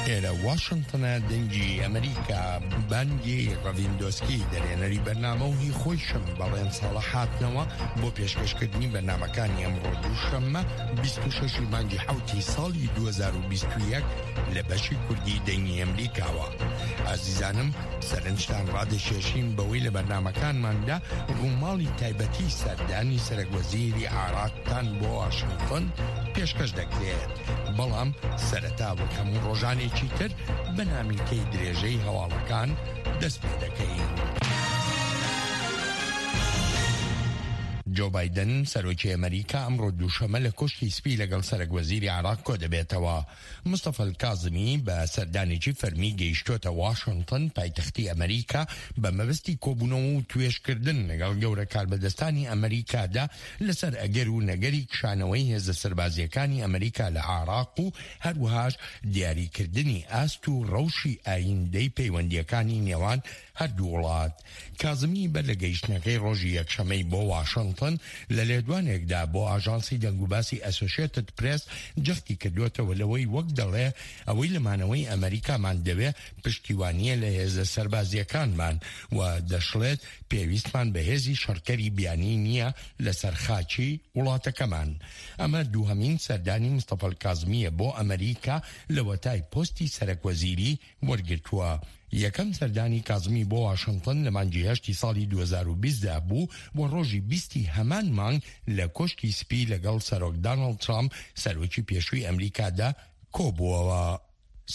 ئێرە واشنتنە دەنگی ئەمریکا بانگی ڕەڤیندۆسکی دەرێنەری بەرنامە و هی خۆیشم بەڵێن ساڵە هاتنەوە بۆ پێشکەشکردنی بەرنامەکانی ئەمڕۆ دووشەممە 26 مانگی حوتی ساڵی 2021 لە بەشی کوردی دەنگی ئەمریکاوە. ئازیزانم سەرنجتان ڕادەکێشین بەوەی لە بەرنامەکانماندا ڕووماڵی تایبەتی سەردانی سەرەک وەزیری عێراقتان بۆ واشنتن پێشکەش دەکرێت، بەڵام سەرەتا وەک هەموو ڕۆژانێکی تر بە نامیلکەی درێژەی هەواڵەکان دەست پێ دەکەین. جۆ بایدن سەرۆکی ئەمریکا ئەمڕۆ دووشەمە لە کۆشکی سپی لەگەڵ سەرەک وەزیری عێراق کۆدەبێتەوە. مستەفا الکازمی بە سەردانێکی فەرمی گەیشتۆتە واشنتن پایتەختی ئەمریکا بە مەبەستی کۆبوونەوە و توێژکردن لەگەڵ گەورە کاربەدەستانی ئەمریکادا لەسەر ئەگەر و نەگەری کشانەوەی هێزە سەربازییەکانی ئەمریکا لە عێراق و هەروەهاش دیاریکردنی ئاست و ڕەوشی ئایندەی پەیوەندییەکانی نێوان هەردوو وڵات. کازمی بەر لە گەیشتنەکەی ڕۆژی یەکشەمەی بۆ واشنتن لە لێدوانێکدا بۆ ئاژانسی دەنگوباسی ئەسۆشێتد پرێس جەختی کردووەتەوە لەوەی وەک دەڵێ ئەوەی لە مانەوەی ئەمەریکامان دەوێ پشتیوانییە لە هێزە سەربازییەکانمان و دەشڵێت پێویستمان بە هێزی شەڕکەری بیانی نییە لەسەر خاکی وڵاتەکەمان. ئەمە دووهەمین سەردانی مستەفا کازمییە بۆ ئەمەریکا لەوەتای پۆستی سەرەکوەزیری وەرگرتووە. یەکەم سەردانی کازمی بۆ واشنتن لە مانگی هەشتی ساڵی 2020 دا بوو و ڕۆژی بیستی هەمان مانگ لە کۆشکی سپی لەگەڵ سەرۆک دانڵد ترامپ سەرۆکی پێشووی ئەمریکادا کۆبووەوە.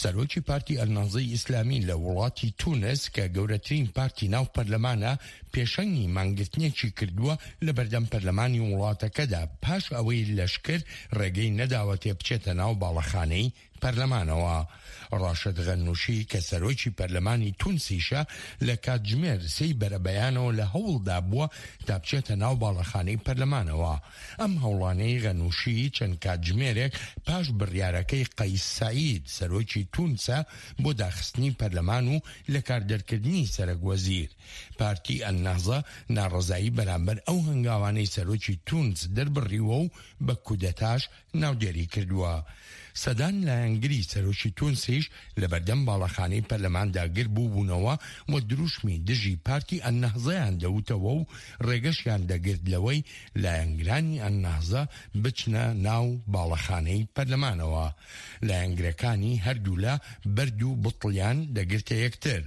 سەرۆکی پارتی ئەلنەهزەی ئیسلامی لە وڵاتی تونس کە گەورەترین پارتی ناو پەرلەمانە پێشەنگی مانگرتنێکی کردووە لە بەردەم پەرلەمانی وڵاتەکەدا پاش ئەوەی لەشکر ڕێگەی نەداوەتێ بچێتە ناو باڵەخانەی پەرلەمانەوە. ڕاشد غەنوشی کە سەرۆکی پەرلەمانی تونسیشە لە کاتژمێر سێی بەرەبەیانەوە لە هەوڵدا بووە تا بچێتە ناو باڵەخانەی پەرلەمانەوە. ئەم هەوڵانەی غەنوشی چەند کاتژمێرێک پاش بڕیارەکەی قەیس سەعید سەرۆکی تونسە بۆ داخستنی پەرلەمان و لەکاردەرکردنی سەرەک وەزیر. پارتی ئەلنەهزە ناڕەزایی بەرامبەر ئەو هەنگاوانەی سەرۆکی تونس دەربڕیوە و بە کودەتاش ناودێری کردووە. سەدان لایەنگری سەرۆکی تونسیش لەبەردەم باڵەخانەی پەرلەماندا گربووبوونەوە و دروشمی دژی پارتی ئەلنەهزەیان دەوتەوە و ڕێگەشیان دەگرت لەوەی لایەنگرانی ئەلنەهزە بچنە ناو باڵەخانەی پەرلەمانەوە. لایەنگرەکانی هەردوولا بەرد و بتڵیان دەگرتە یەکتر.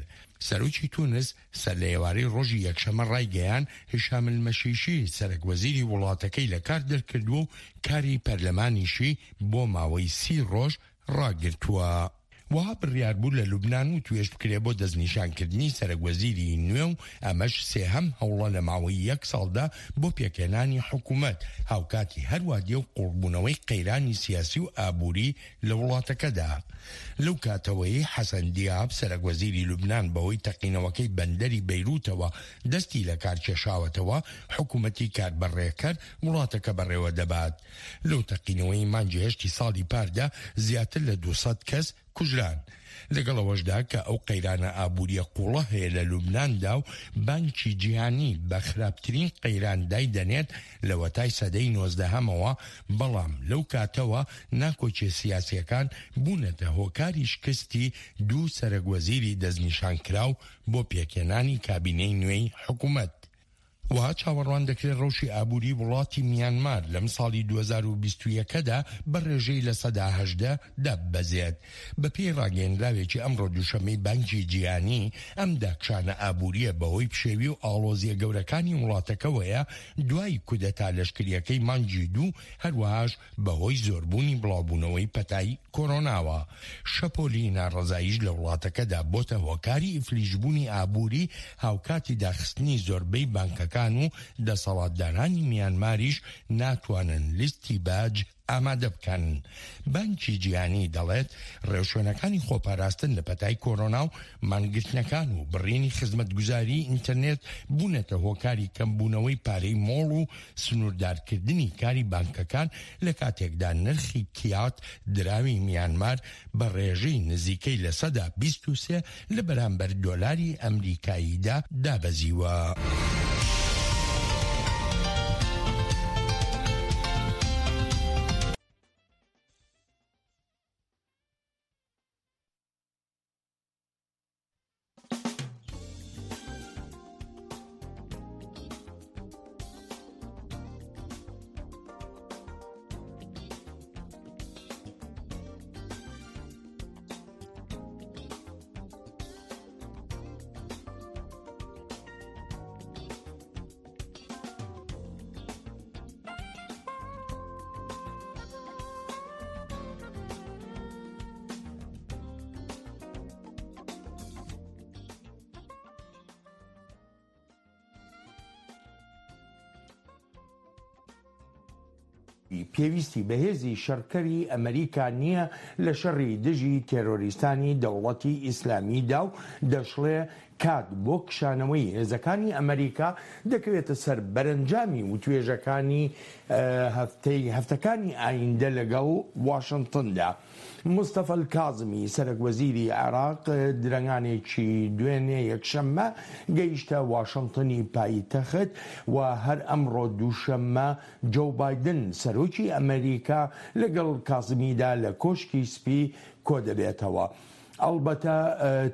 سەرۆکی تونس سەرلەئێوارەی ڕۆژی یەکشەممە ڕایگەیاند، هیشام المەشیشی سەرەک وەزیری وڵاتەکەی لە کار دەرکردووە و کاری پەرلەمانیشی بۆ ماوەی سی ڕۆژ ڕاگرتووە. وەها بڕیار بوو لە لوبنان وتوێژ بکرێ بۆ دەستنیشانکردنی سەرەک وەزیری نوێ و ئەمەش سێهەم هەوڵە لە ماوەی یەک ساڵدا بۆ پێکهێنانی حکومەت، هاوکاتی هەروا دێ و قوڵبوونەوەی قەیرانی سیاسی و ئابووری لە وڵاتەکەدا. لەو کاتەوەی حەسەن دیاب، سەرەکوەزیری لوبنان بەهۆی تەقینەوەکەی بەندەری بەیروتەوە دەستی لەکارکێشاوەتەوە، حکومەتی کاربەڕێکەر وڵاتەکە بەڕێوەدەبات. لەو تەقینەوەی مانگی هەشتی ساڵی پاردا زیاتر لە 200 کەس کوژران. لەگەڵ ئەوەشدا کە ئەو قەیرانە ئابوورییە قووڵە هەیە لە لوبناندا و بانکی جیهانی بە خراپترین قەیران دایدەنێت لەوەتای سەدەی نۆزدەهەمەوە، بەڵام لەو کاتەوە ناکۆکیە سیاسییەکان بوونەتە هۆکاری شکستی دوو سەرەک وەزیری دەستنیشانکراو بۆ پێکهێنانی کابینەی نوێی حکومەت. وەها چاوەڕوان دەکرێت ڕەوشی ئابووری وڵاتی میانمار لەم ساڵی 2021 دا بە ڕێژەی 18% داببەزێت. بەپێی ڕاگەیەنراوێکی ئەمڕۆ دووشەممەی بانکی جیهانی، ئەم داکشانە ئابوورییە بەهۆی پشێوی و ئاڵۆزییە گەورەکانی وڵاتەکەوەیە دوای کودەتا لەشکرییەکەی مانگی دوو، هەروەهاش بەهۆی زۆربوونی بڵاوبوونەوەی پەتای کۆرۆناوە. شەپۆلی ناڕەزاییش لە وڵاتەکەدا بۆتە هۆکاری ئیفلیجبوونی ئابووری، هاوکاتی داخستنی زۆربەی بانکەکان و دەسەڵاتدارانی میانماریش ناتوانن لیستی باج ئامادە بکەن. بانکی جیهانی دەڵێت، ڕێوشوێنەکانی خۆپاراستن لە پەتای کۆرۆنا و مانگرتنەکان و بڕینی خزمەتگوزاریی ئینتەرنێت بوونەتە هۆکاری کەمبوونەوەی پارەی مۆڵ و سنووردارکردنی کاری بانکەکان لە کاتێکدا نرخی کیات دراوی میانمار بە ڕێژەی نزیکەی 23% لە بەرامبەر دۆلاری ئەمریکاییدا دابەزیوە. پێویستی بە هێزی شەڕکەری ئەمریکا نییە لە شەڕی دژی تێرۆریستانی دەوڵەتی ئیسلامیدا و دەشڵێ کات بۆ کشانەوەی هێزەکانی ئەمریکا دەکەوێتە سەر بەرەنجامی وتوێژەکانی هەفتەی هەفتەکانی ئایندە لەگەڵ واشنتندا. مستەفا الکازمی سەرەک وەزیری عێراق درەنگانێکی دوێنێ یەکشەممە گەیشتە واشنتنی پایتەخت و هەر ئەمڕۆ دووشەممە جۆو بایدن سەرۆکی ئەمریکا لەگەڵ کازمیدا لە کۆشکی سپی کۆدەبێتەوە. ئەڵبەتە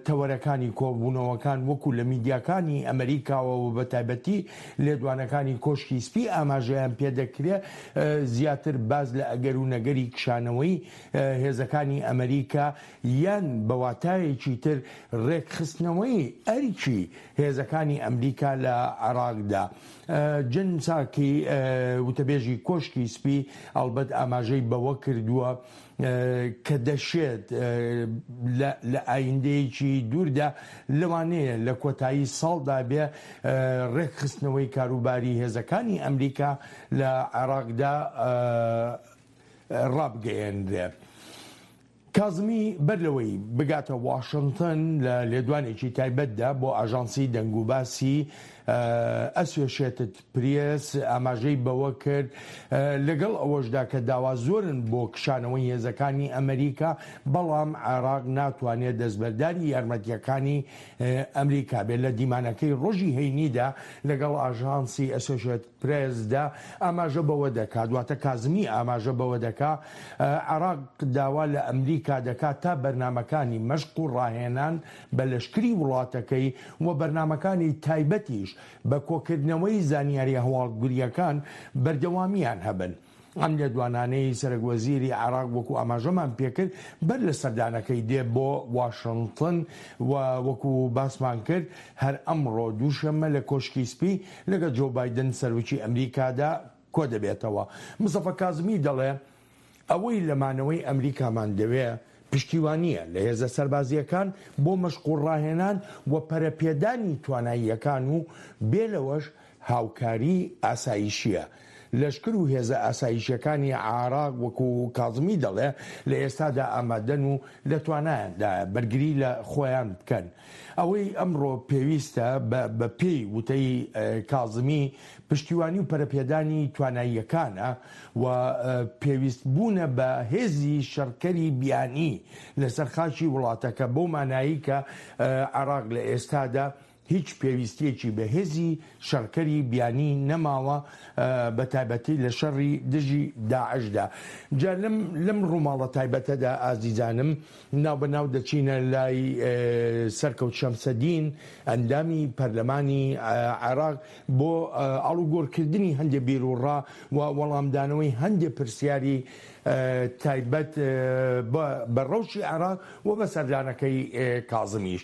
تەوەرەکانی کۆبوونەوەکان وەکو لە میدیاکانی ئەمریکاوە و بەتایبەتی لێدوانەکانی کۆشکی سپی ئاماژەیان پێدەکرێ زیاتر باس لە ئەگەر و نەگەری کشانەوەی هێزەکانی ئەمریکا یان بە واتایەکی تر ڕێکخستنەوەی ئەرکی هێزەکانی ئەمریکا لە عێراقدا. جن ساکی وتەبێژی کۆشکی سپی ئەڵبەت ئاماژەی بەوە کردووە کە دەشێت لە ئایندەیەکی دووردا لەوانەیە لە کۆتایی ساڵدا بێ ڕێکخستنەوەی کاروباری هێزەکانی ئەمریکا لە عێراقدا ڕابگەیەنرێ. کازمی بەر لەوەی بگاتە واشنتن لە لێدوانێکی تایبەتدا بۆ ئاژانسی دەنگوباسی ئەسۆشێتد پرێس ئاماژەی بەوە کرد، لەگەڵ ئەوەشدا کە داوا زۆرن بۆ کشانەوەی هێزەکانی ئەمریکا، بەڵام عێراق ناتوانێت دەستبەرداری یارمەتییەکانی ئەمریکا بێت. لە دیمانەکەی ڕۆژی هەینیدا لەگەڵ ئاژانسی ئەسۆشێتد پرێسدا ئاماژە بەوە دەکات، واتە کازمی ئاماژە بەوە دەکات، عێراق داوا لە ئەمریکا دەکات تا بەرنامەکانی مەشق و ڕاهێنان بە لەشکری وڵاتەکەی و بەرنامەکانی تایبەتیش بە کۆکردنەوەی زانیاریە هەواڵگرییەکان بەردەوامییان هەبن. ئەم لێدوانانەی سەرەک وەزیری عێراق وەکو ئاماژەمان پێکرد بەر لە سەردانەکەی دێ بۆ واشنتن و وەکو باسمان کرد هەر ئەمڕۆ دووشەممە لە کۆشکی سپی لەگەڵ جۆ بایدن سەرۆکی ئەمریکادا کۆدەبێتەوە. مستەفا کازمی دەڵێ، ئەوەی لە مانەوەی ئەمریکامان دەوێ پشتیوانییە لە هێزە سەربازییەکان بۆ مەشق و ڕاهێنان و پەرەپێدانی تواناییەکان و بێ لەوەش هاوکاری ئاسایشییە. لەشکر و هێزە ئاسایشییەکانی عێراق وەکو کازمی دەڵێ لە ئێستادا ئامادەن و لە توانایاندایە بەرگری لە خۆیان بکەن. ئەوەی ئەمڕۆ پێویستە بە بە پێی وتەی کازمی پشتیوانی و پەرەپێدانی تواناییەکانە و پێویست بوونە بە هێزی شەڕکەری بیانی لەسەر خاکی وڵاتەکە بەو مانایەی کە عێراق لە ئێستادا هیچ پێویستیەکی بە هێزی شەڕکەری بیانی نەماوە بە تایبەتی لە شەڕی دژی داعشدا. جا لەم لەم ڕووماڵە تایبەتەدا ئازیزانم ناوبەناو دەچینە لای سەرکەوت شەمسەدین ئەندامی پەرلەمانی عێراق بۆ ئاڵوگۆڕکردنی هەندێ بیروڕا و وەڵامدانەوەی هەندێ پرسیاری تایبەت بە ڕەوشی عێراق و بە سەردانەکەی کازمیش.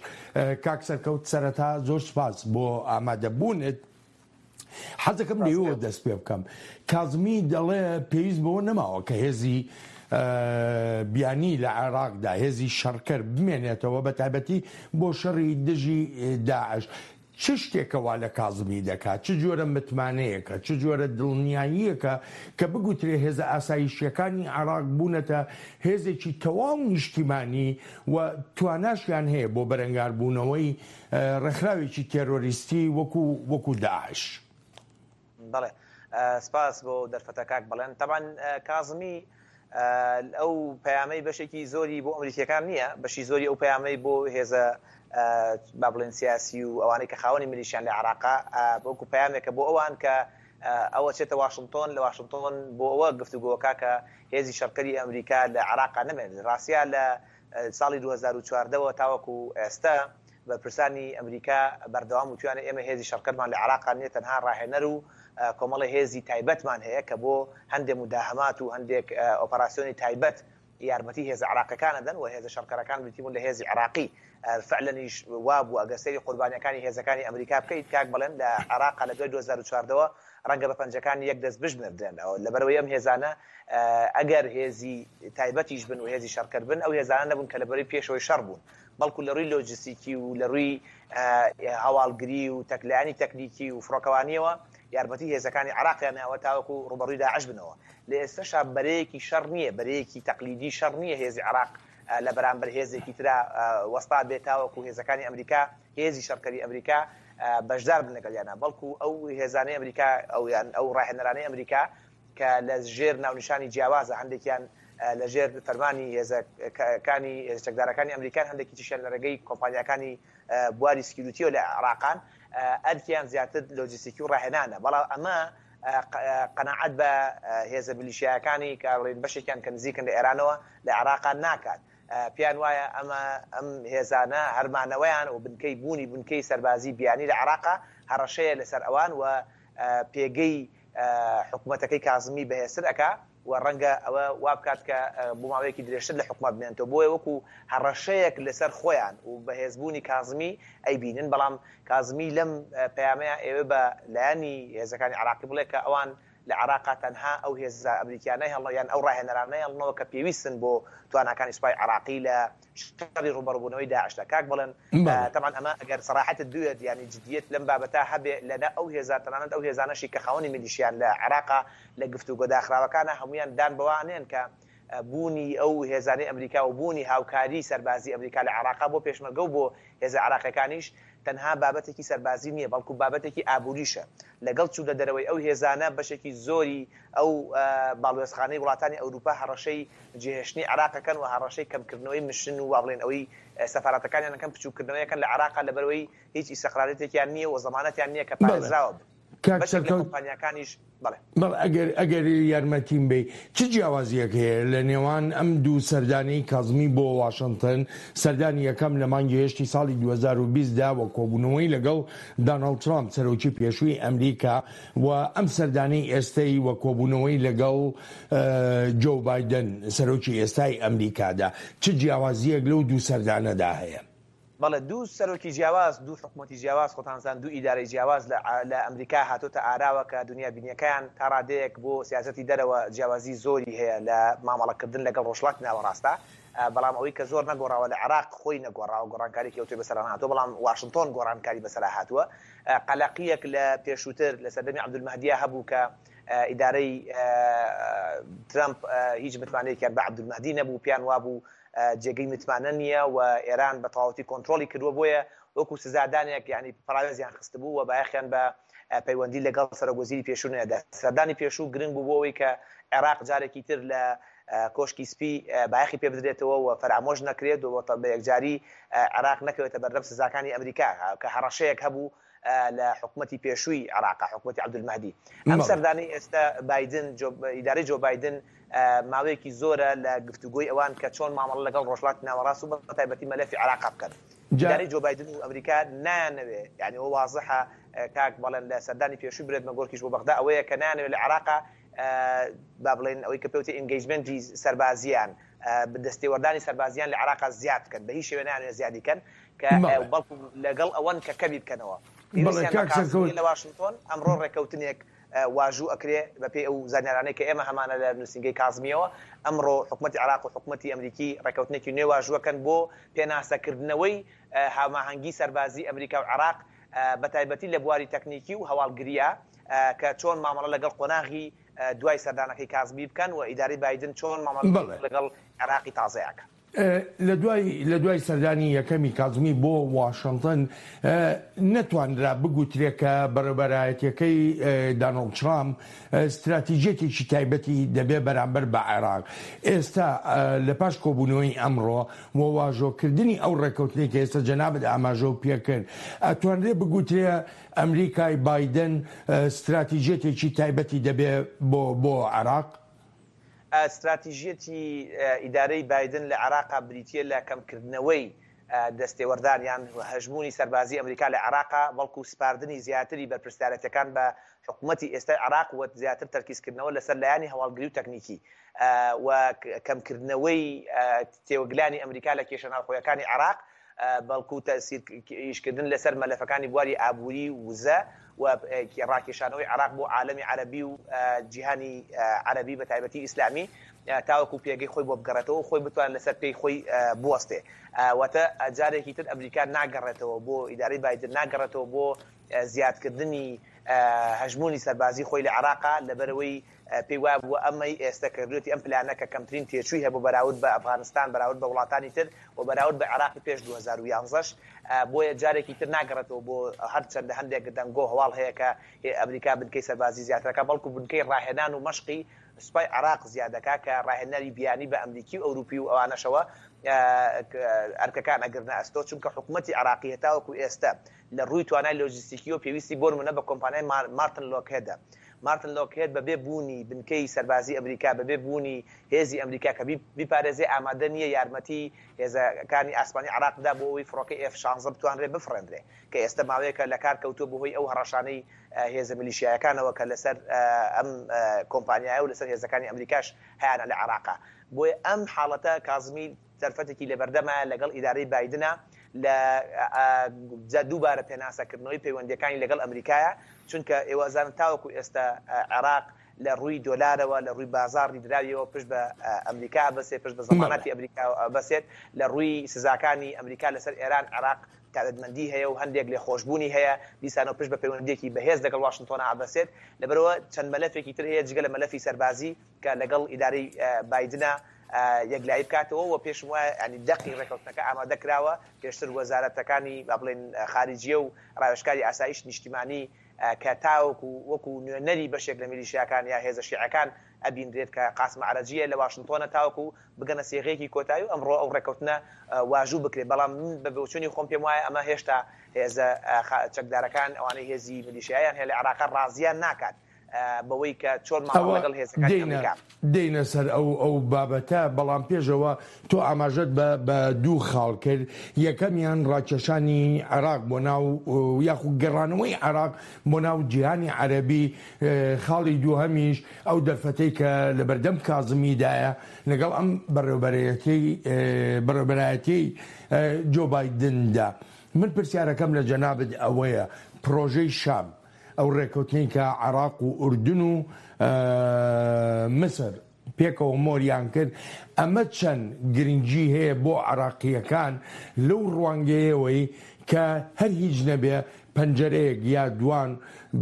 کاک سەرکەوت سەرەتا زۆر سوپاس بۆ ئامادەبوونت. حەزەکەم لێوە دەست پێ بکەم. کازمی دەڵێ پێویست بەوە نەماوە کە هێزی بیانی لە عێراقدا هێزی شەڕکەر بمێنێتەوە بە تایبەتی بۆ شەڕی دژی داعش. چ شتێکە وا لە کازمی دەکات؟ چ جۆرە متمانەیەکە؟ چ جۆرە دڵنیاییەکە کە بگوترێ هێزە ئاسایشییەکانی عێراق بوونەتە هێزێکی تەواو نیشتیمانی و تواناشیان هەیە بۆ بەرەنگاربوونەوەی ڕێکخراوێکی تێرۆریستی وەکو وەکو داعش؟ بەڵێ سپاس بۆ دەرفەتە کاک بەڵێن. تەبعەن کازمی ئەو پەیامەی بەشێکی زۆری بۆ ئەمریکیەکان نییە، بەشی زۆری ئەو پەیامەی بۆ هێزە با بڵێن سیاسی و ئەوانەی کە خاوەنی میلیشیان لە عێراقا وەکو پەیامێکە بۆ ئەوان کە ئەوە چێتە واشنتۆن لە واشنتۆن بۆ ئەوە گفتوگۆکە کە هێزی شەڕکەری ئەمریکا لە عێراقا نەمێنێت. ڕاستیا لە ساڵی 2014 وە تاوەکو ئێستا بەرپرسانی ئەمریکا بەردەوام وتویانە ئێمە هێزی شەڕکەرمان لە عێراقا نیە تەنها ڕاهێنەر و کۆمەڵی هێزی تایبەتمان هەیە کە بۆ هەندێک موداهەمات و هەندێک ئۆپەراسیۆنی تایبەت یارمەتی هێزە عێراقیەکان ئەدەن و هێزە شەڕکەرەکان بریتی بوون لە هێزی عێراقی فعلەنیش وابوو ئەگەر سەیری قوربانیەکانی هێزەکانی ئەمریکا بکەیت کاک بەڵێن لە عێراقا لە دوای 2014 وە ڕەنگە بە پەنجەکانی یەک دەست بژمێردرێن لەبەرئەوەی ئەم هێزانە ئەگەر هێزی تایبەتیش بن و هێزی شەڕکەر بن ئەو هێزانە نەبوون کە لە بەرەی پێشەوەی شەڕ بوون بەڵکو لە ڕووی لۆجستیکی و لە ڕووی هەواڵگری و تەکلایەنی تەکنیکی و فڕۆکەوانیەوە یارمەتی هێزەکانی عێراقیان ناوە تاوەکو ڕووبەڕووی داعش بنەوە. لە ئێستەشا بەرەیەکی شەڕ نییە، بەرەیەکی تەقلیدی شەڕ نییە هێزی عێراق لە بەرامبەر هێزێکی ترا وەستا بێت تاوەکو هێزەکانی ئەمریکا، هێزی شەڕکەری ئەمریکا بەشدار بن لەگەڵیانا، بەڵکو ئەو هێزانەی ئەمریکا ئەو یان ئەو ڕاهێنەرانەی ئەمریکا کە لە ژێر ناونیشانی جیاوازە هەندێکیان لە ژێر فەرمانی هێزەکانی هێزە چەکدارەکانی ئەمریکان هەندێکی تریشیان لە ڕێگەی کۆمپانیاکانی بواری سکیوریتیەوە لە عێراقان ئەرکیان زیاتر لۆجیستیکی و ڕاهێنانە بەڵام ئەمە قەناعەت بە هێزە میلیشیایەکانی کە بڵێین بەشێکیان کە نزیکن لە ئێرانەوە لە عێراقا ناکات پێیان وایە ئەمە ئەم هێزانە هەرمانەوەیان و بنکەی بوونی بنکەی سەربازی بیانی لە عێراقا هەڕەشەیە لەسەر ئەوان و پێگەی حکومەتەکەی کازمی بەهێزتر ئەکا و ڕەنگە ئەوە وابکات کە بۆ ماوەیەکی درێژتر لە حکومەت بمێنێتەوە، بۆیە وەکو هەڕەشەیەک لەسەر خۆیان و بەهێزبوونی کازمی ئەیبینن، بەڵام کازمی لەم پەیامەیا ئەیەوێ بە لایەنی هێزەکانی عێراقی بڵێ کە ئەوان لە عێراقا تەنها ئەو هێزە ئەمریکیانە هێڵنەوە یان ئەو ڕاهێنەرانە هێڵنەوە کە پێویستن بۆ تواناکانی سوپای عێراقی لە شەڕی ڕووبەڕووبوونەوەی داعشدا. کاک بەڵێن تەبعەن ئەمە ئەگەر سەراحەتت بوێت یانی جدیەت لەم بابەتە هەبێ لە نە ئەو هێزە تەنانەت ئەو هێزانەشی کە خاوەنی میلیشیان لە عێراقا لە گفتوگۆ داخراوەکانا هەموویان دان بەوە ئەنێن کە بوونی ئەو هێزانەی ئەمریکا و بوونی هاوکاری سەربازی ئەمریکا لە عێراقا بۆ پێشمەرگە و بۆ هێزە عێراقیەکانیش تەنها بابەتێکی سەربازی نییە، بەڵکو بابەتێکی ئابووریشە. لەگەڵ چوونە دەرەوەی ئەو هێزانە، بەشێکی زۆری ئەو باڵوێزخانەی وڵاتانی ئەوروپا هەڕەشەی جێهێشتنی عێراق ئەکەن و هەڕەشەی کەمکردنەوەی مشن و وا بڵێین ئەوەی سەفارەتەکانیان ئەکەن بچووککردنەوەی ئەکەن لە عێراقا لەبەرئەوەی هیچ ئیستقرارێتێکیان نییە و زەمانەتیان نییە کە پارێزراوە بن. کاک بەشێک لە سەرکەوت کۆمپانیاکانیش بەڵێ. بەڵێ ئەگەر ئەگەر یارمەتیم بەی چ جیاوازیەک هەیە لە نێوان ئەم دوو سەردانەی کازمی بۆ واشنتن سەردانی یەکەم لە مانگی هەشتی ساڵی 2020 دا و کۆبوونەوەی لەگەڵ داناڵد ترامپ سەرۆکی پێشووی ئەمریکا و ئەم سەردانەی ئێستەی و کۆبوونەوەی لەگەڵ جۆو بایدن سەرۆکی ئێستای ئەمریکادا چ جیاوازیەک لەو دوو سەردانەدا هەیە؟ بەڵێ دوو سەرۆکی جیاواز، دوو حکومەتی جیاواز، خۆتان زان دوو ئیدارەی جیاواز لە لە ئەمریکا هاتۆتە ئاراوە کە دونیا بینیەکەیان تا ڕادەیەک بۆ سیاسەتی دەرەوە جیاوازی زۆری هەیە لە مامەڵە کردن لەگەڵ ڕۆژهەڵاتی ناوەڕاستا بەڵام ئەوەی کە زۆر نەگۆڕاوە لە عێراق خۆی نەگۆڕاوە گۆڕانکاریەکی ئەوتۆی بەسەرا نەهاتووە بەڵام واشنتۆن گۆڕانکاری بەسەرا هاتووە قەلەقیەک لە پێشووتر لە سەردەمی عەبدولمەهدیا هەبوو کە ئیدارەی ترەمپ هیچ متمانەیەکیان بە عەبدولمەهدی نەبوو پێیان وابوو جێگەی متمانە نییە و ئێران بە تەواوەتی کۆنترۆڵی کردووە، بۆیە وەکو سزادانێک یانی پەڕاوێزیان خستبوو و بایەخیان بە پەیوەندی لەگەڵ سەرۆک وەزیری پێشوو نەدا. سەردانی پێشوو گرنگ بوو بۆ ئەوەی کە عێراق جارێکی تر لە کۆشکی سپی بایەخی پێ بدرێتەوە و فەرامۆش نەکرێت و بە یەکجاری عێراق نەکەوێتە بەردەم سزاکانی ئەمریکا کە هەڕەشەیەک هەبوو لە حکومەتی پێشووی عێراق، حکومەتی عەبدولمەهدی. ئەم سەردانەی ئێستا بایدن، ئیدارەی جۆ بایدن ماوەیەکی زۆرە لە گفتوگۆی ئەوان کە چۆن مامەڵە لەگەڵ ڕۆژهەڵاتی ناوەڕاست و بەتایبەتی مەلەفی عێراق بکەن. ئیدارەی جۆ بایدن و ئەمریکا نایانەوێ، یانی ئەوە وازحە کاک بەڵێن لە سەردانی پێشووی برێت مەگۆرکیش بۆ بەغدا ئەوەیە کە نایانەوێ لە عێراق با بڵێین ئەوەی کە پێوتێ engagement ی سەربازییان، دەستێوەردانی سەربازییان لە عێراق زیاد بکەن، بە هیچ شێوەیە نایانەوێ زیادی کەن. کە بەڵکو لەگەڵ ئەوەن کە کەمی بکەنەوە. پێویستیان بە کازمییە لە واشنتۆن، ئەمڕۆ ڕێککەوتنێک واژوو ئەکرێ بەپێی ئەو زانیارانەی کە ئێمە هەمانە لە نووسینگەی کازمییەوە، ئەمڕۆ حکومەتی عێراق و حکومەتی ئەمریکی ڕێککەوتنێکی نوێ واژووەکەن بۆ پێناسەکردنەوەی هاوماهەنگی سەربازی ئەمریکا و عێراق بەتایبەتی لە بواری تەکنیکی و هەواڵگرییا کە چۆن مامەڵە لەگەڵ قۆناغی دوای سەردانەکەی کازمی بکەن و ئیدارەی بایدن چۆن مامەڵە لەگەڵ عێراقی تازەیا کات. لە دوای لە دوای سەردانی یەکەمی کازمی بۆ واشنتن نەتوانرا بگوترێ کە بەڕێوبەرایەتیەکەی دانۆڵد ترامپ ستراتیجیەتێکی تایبەتی دەبێ بەرامبەر بە عێراق. ئێستا لە پاش کۆبوونەوەی ئەمڕۆ و واژۆکردنی ئەو ڕێککەوتنەی کە ئێستا جەنابت ئاماژەو پێکرد ئەتوانرێ بگوترێ ئەمریکای بایدن ستراتیجیەتێکی تایبەتی دەبێ بۆ بۆ عێراق؟ ستراتیژیەتی ئیدارەی بایدن لە عێراقا بریتییە لە کەمکردنەوەی دەستێوەردان یان هەژموونی سەربازی ئەمریکا لە عێراقا، بەڵکو سپاردنی زیاتری بەرپرسیارێتیەکان بە حکومەتی ئێستای عێراق و زیاتر تەرکیزکردنەوە لەسەر لایەنی هەواڵگری و تەکنیکی و کەمکردنەوەی تێوەگلانی ئەمریکا لە کێشە ناوخۆیەکانی عێراق. بەڵکو تەئسیر ئیشکردن لەسەر مەلەفەکانی بواری ئابووری و وزە و ڕاکێشانەوەی عێراق بۆ عالەمی عەرەبی و جیهانی عەرەبی بە تایبەتی ئیسلامی تاوەکو پێگەی خۆی بۆ بگەڕێتەوە و خۆی بتوانێت لەسەر پێی خۆی بوەستێ. واتە جارێکی تر ئەمریکا ناگەڕێتەوە بۆ ئیدارەی بایدن ناگەڕێتەوە بۆ زیادکردنی. هەژموونی سەربازی خۆی لە عێراقا، لەبەرئەوەی پێی وابووە ئەمەی ئێستە کردوویەتی ئەم پلانە کە کەمترین تێچووی هەبوو بەراورد بە ئەفغانستان، بەراورد بە وڵاتانی تر و بەراورد بە عێراقی پێش 2011 ش، بۆیە جارێکی تر ناگەڕێتەوە بۆ هەرچەندە هەندێک دەنگۆ هەواڵ هەیە کە ئەمریکا بنکەی سەربازی زیاتر ئەکات، بەڵکو بنکەی ڕاهێنان و مەشقی سوپای عێراق زیاد دەکات کە ڕاهێنەری بیانی بە ئەمریکی و ئەوروپی و ئەوانەشەوە ئەرکەکان ئەگرنە ئەستۆ، چونکە حکومەتی عێراقی هەتاوەکو ئێستە لە ڕووی توانای لۆجستیکیەوە پێویستی بۆ نمونە بە کۆمپانیای مارتن لۆکهێدە. مارتن لۆکهێد بەبێ بوونی بنکەی سەربازی ئەمریکا، بەبێ بوونی هێزی ئەمریکا کە بیپارێزێ ئامادە نییە یارمەتی هێزەکانی ئاسمانی عێراق بدا بۆ ئەوەی فڕۆکەی ئێف 16 بتوانرێ بفڕێندرێ کە ئێستە ماوەیەکە لەکار کەوتووە بەهۆی ئەو هەڕەشانەی هێزە میلیشیایەکانەوە کە لەسەر ئەم کۆمپانیایە و لەسەر هێزەکانی ئەمریکاش هەیانە لە عێراقا. بۆیە ئەم حاڵەتە کازمی دەرفەتێکی لەبەردەمایە لەگەڵ ئیدارەی بایدنە لە دووبارە پێناسەکردنەوەی پەیوەندییەکانی لەگەڵ ئەمریکایە، چونکە ئێوە ئەزانن تاوەکو ئێستا عێراق لە ڕووی دۆلارەوە، لە ڕووی بازاڕی دراویەوە پشت بە ئەمریکا ئەبەسێت، پشت بە زەمانەتی ئەمریکا ئەبەسێت، لە ڕووی سزاکانی ئەمریکا لەسەر ئێران عێراق تایبەتمەندی هەیە و هەندێک لێخۆشبوونی هەیە، دیسانەوە پشت بە پەیوەندییەکی بەهێز لەگەڵ واشنتۆنا ئەبەسێت، لەبەرئەوە چەند مەلەفێکی تر هەیە جگە لە مەلەفی سەربازی کە لەگەڵ ئیدارەی بایدنا یەکلایی بکاتەوە و پێشم وایە یانی دەقی ڕێکەوتنەکە ئامادە کراوە، پێشتر وەزارەتەکانی با بڵێین خارجیە و ڕاوێژکاری ئاسایشی نیشتیمانی کە تاوەکو وەکو نوێنەری بەشێک لە میلیشیاکان یا هێزە شیعەکان ئەبینرێت کە قاسم عەرەجیە لە واشنتۆنە تاوەکو بگەنە سێغەیەکی کۆتایی و ئەمڕۆ ئەو ڕێکەوتنە واژوو بکرێت، بەڵام من بە بۆچوونی خۆم پێم وایە ئەمە هێشتا هێزە چەکدارەکان ئەوانەی هێزی میلیشیایان هەیە لە عێراقا ڕازیان ناکات بەوەی کە چۆن مامەڵە ئەوە لەگەڵ هێزەکانی دێینە ئەمریکا. دێینە سەر ئەو ئەو بابەتە، بەڵام پێش ئەوە تۆ ئاماژەت بە بە دوو خاڵ کرد، یەکەمیان ڕاکێشانی عێراق بۆ ناو یاخود گەڕانەوەی عێراق بۆ ناو جیهانی عەرەبی، خاڵی دووهەمیش ئەو دەرفەتەی کە لەبەردەم کازمیدایە لەگەڵ ئەم بەڕێوبەرەیەتیەی بەڕێوبەرایەتیەی جۆ بایدندا. من پرسیارەکەم لە جەنابت ئەوەیە پڕۆژەی شام ئەو ڕێککەوتنەی کە عێراق و ئوردن و میسر پێکەوە مۆریان کرد، ئەمە چەند گرنگی هەیە بۆ عێراقییەکان لەو ڕوانگەیەوەی کە هەر هیچ نەبێ پەنجەرەیەک یا دوان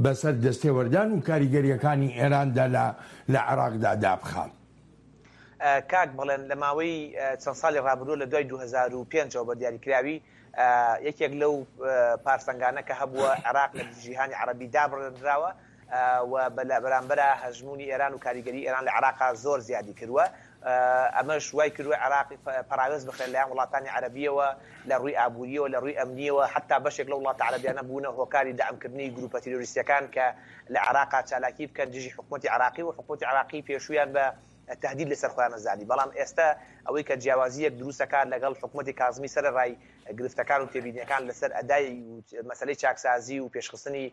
بەسەر دەستێوەردان و کاریگەرییەکانی ئێراندا لە عێراقدا دابخا؟ کاک بەڵێن لە ماوەی چەند ساڵی ڕابردووە لە دوای 2005 ەوە بە دیاریکراوی یەکێک لەو پارسەنگانە کە هەبووە عێراق لە جیهانی عەرەبی دابڕێنراوە و لە بەرامبەرا هەژموونی ئێران و کاریگەری ئێران لە عێراقا زۆر زیادی کردووە. ئەمەش وای کردووە عێراق پەراوێز بخرێت لەلایەن وڵاتانی عەرەبییەوە لە ڕووی ئابوورییەوە، لە ڕووی ئەمنییەوە، حەتتا بەشێک لەو وڵاتە عەرەبیانە بوونە هۆکاری دەعمکردنی گرووپە تیرۆریستییەکان کە لە عێراقا چالاکی بکەن دژی حکومەتی عێراقی و حکومەتی عێراقی پێشوویان بە تەهدید لەسەر خۆیان ئەزانی. بەڵام ئێستا ئەوەی کە جیاوازییەک دروست ئەکات لەگەڵ حکومەتی کازمی سەرەڕای گرفتەکان و تێبینییەکان لەسەر ئەدای و مەسەلەی چاکسازی و پێشخستنی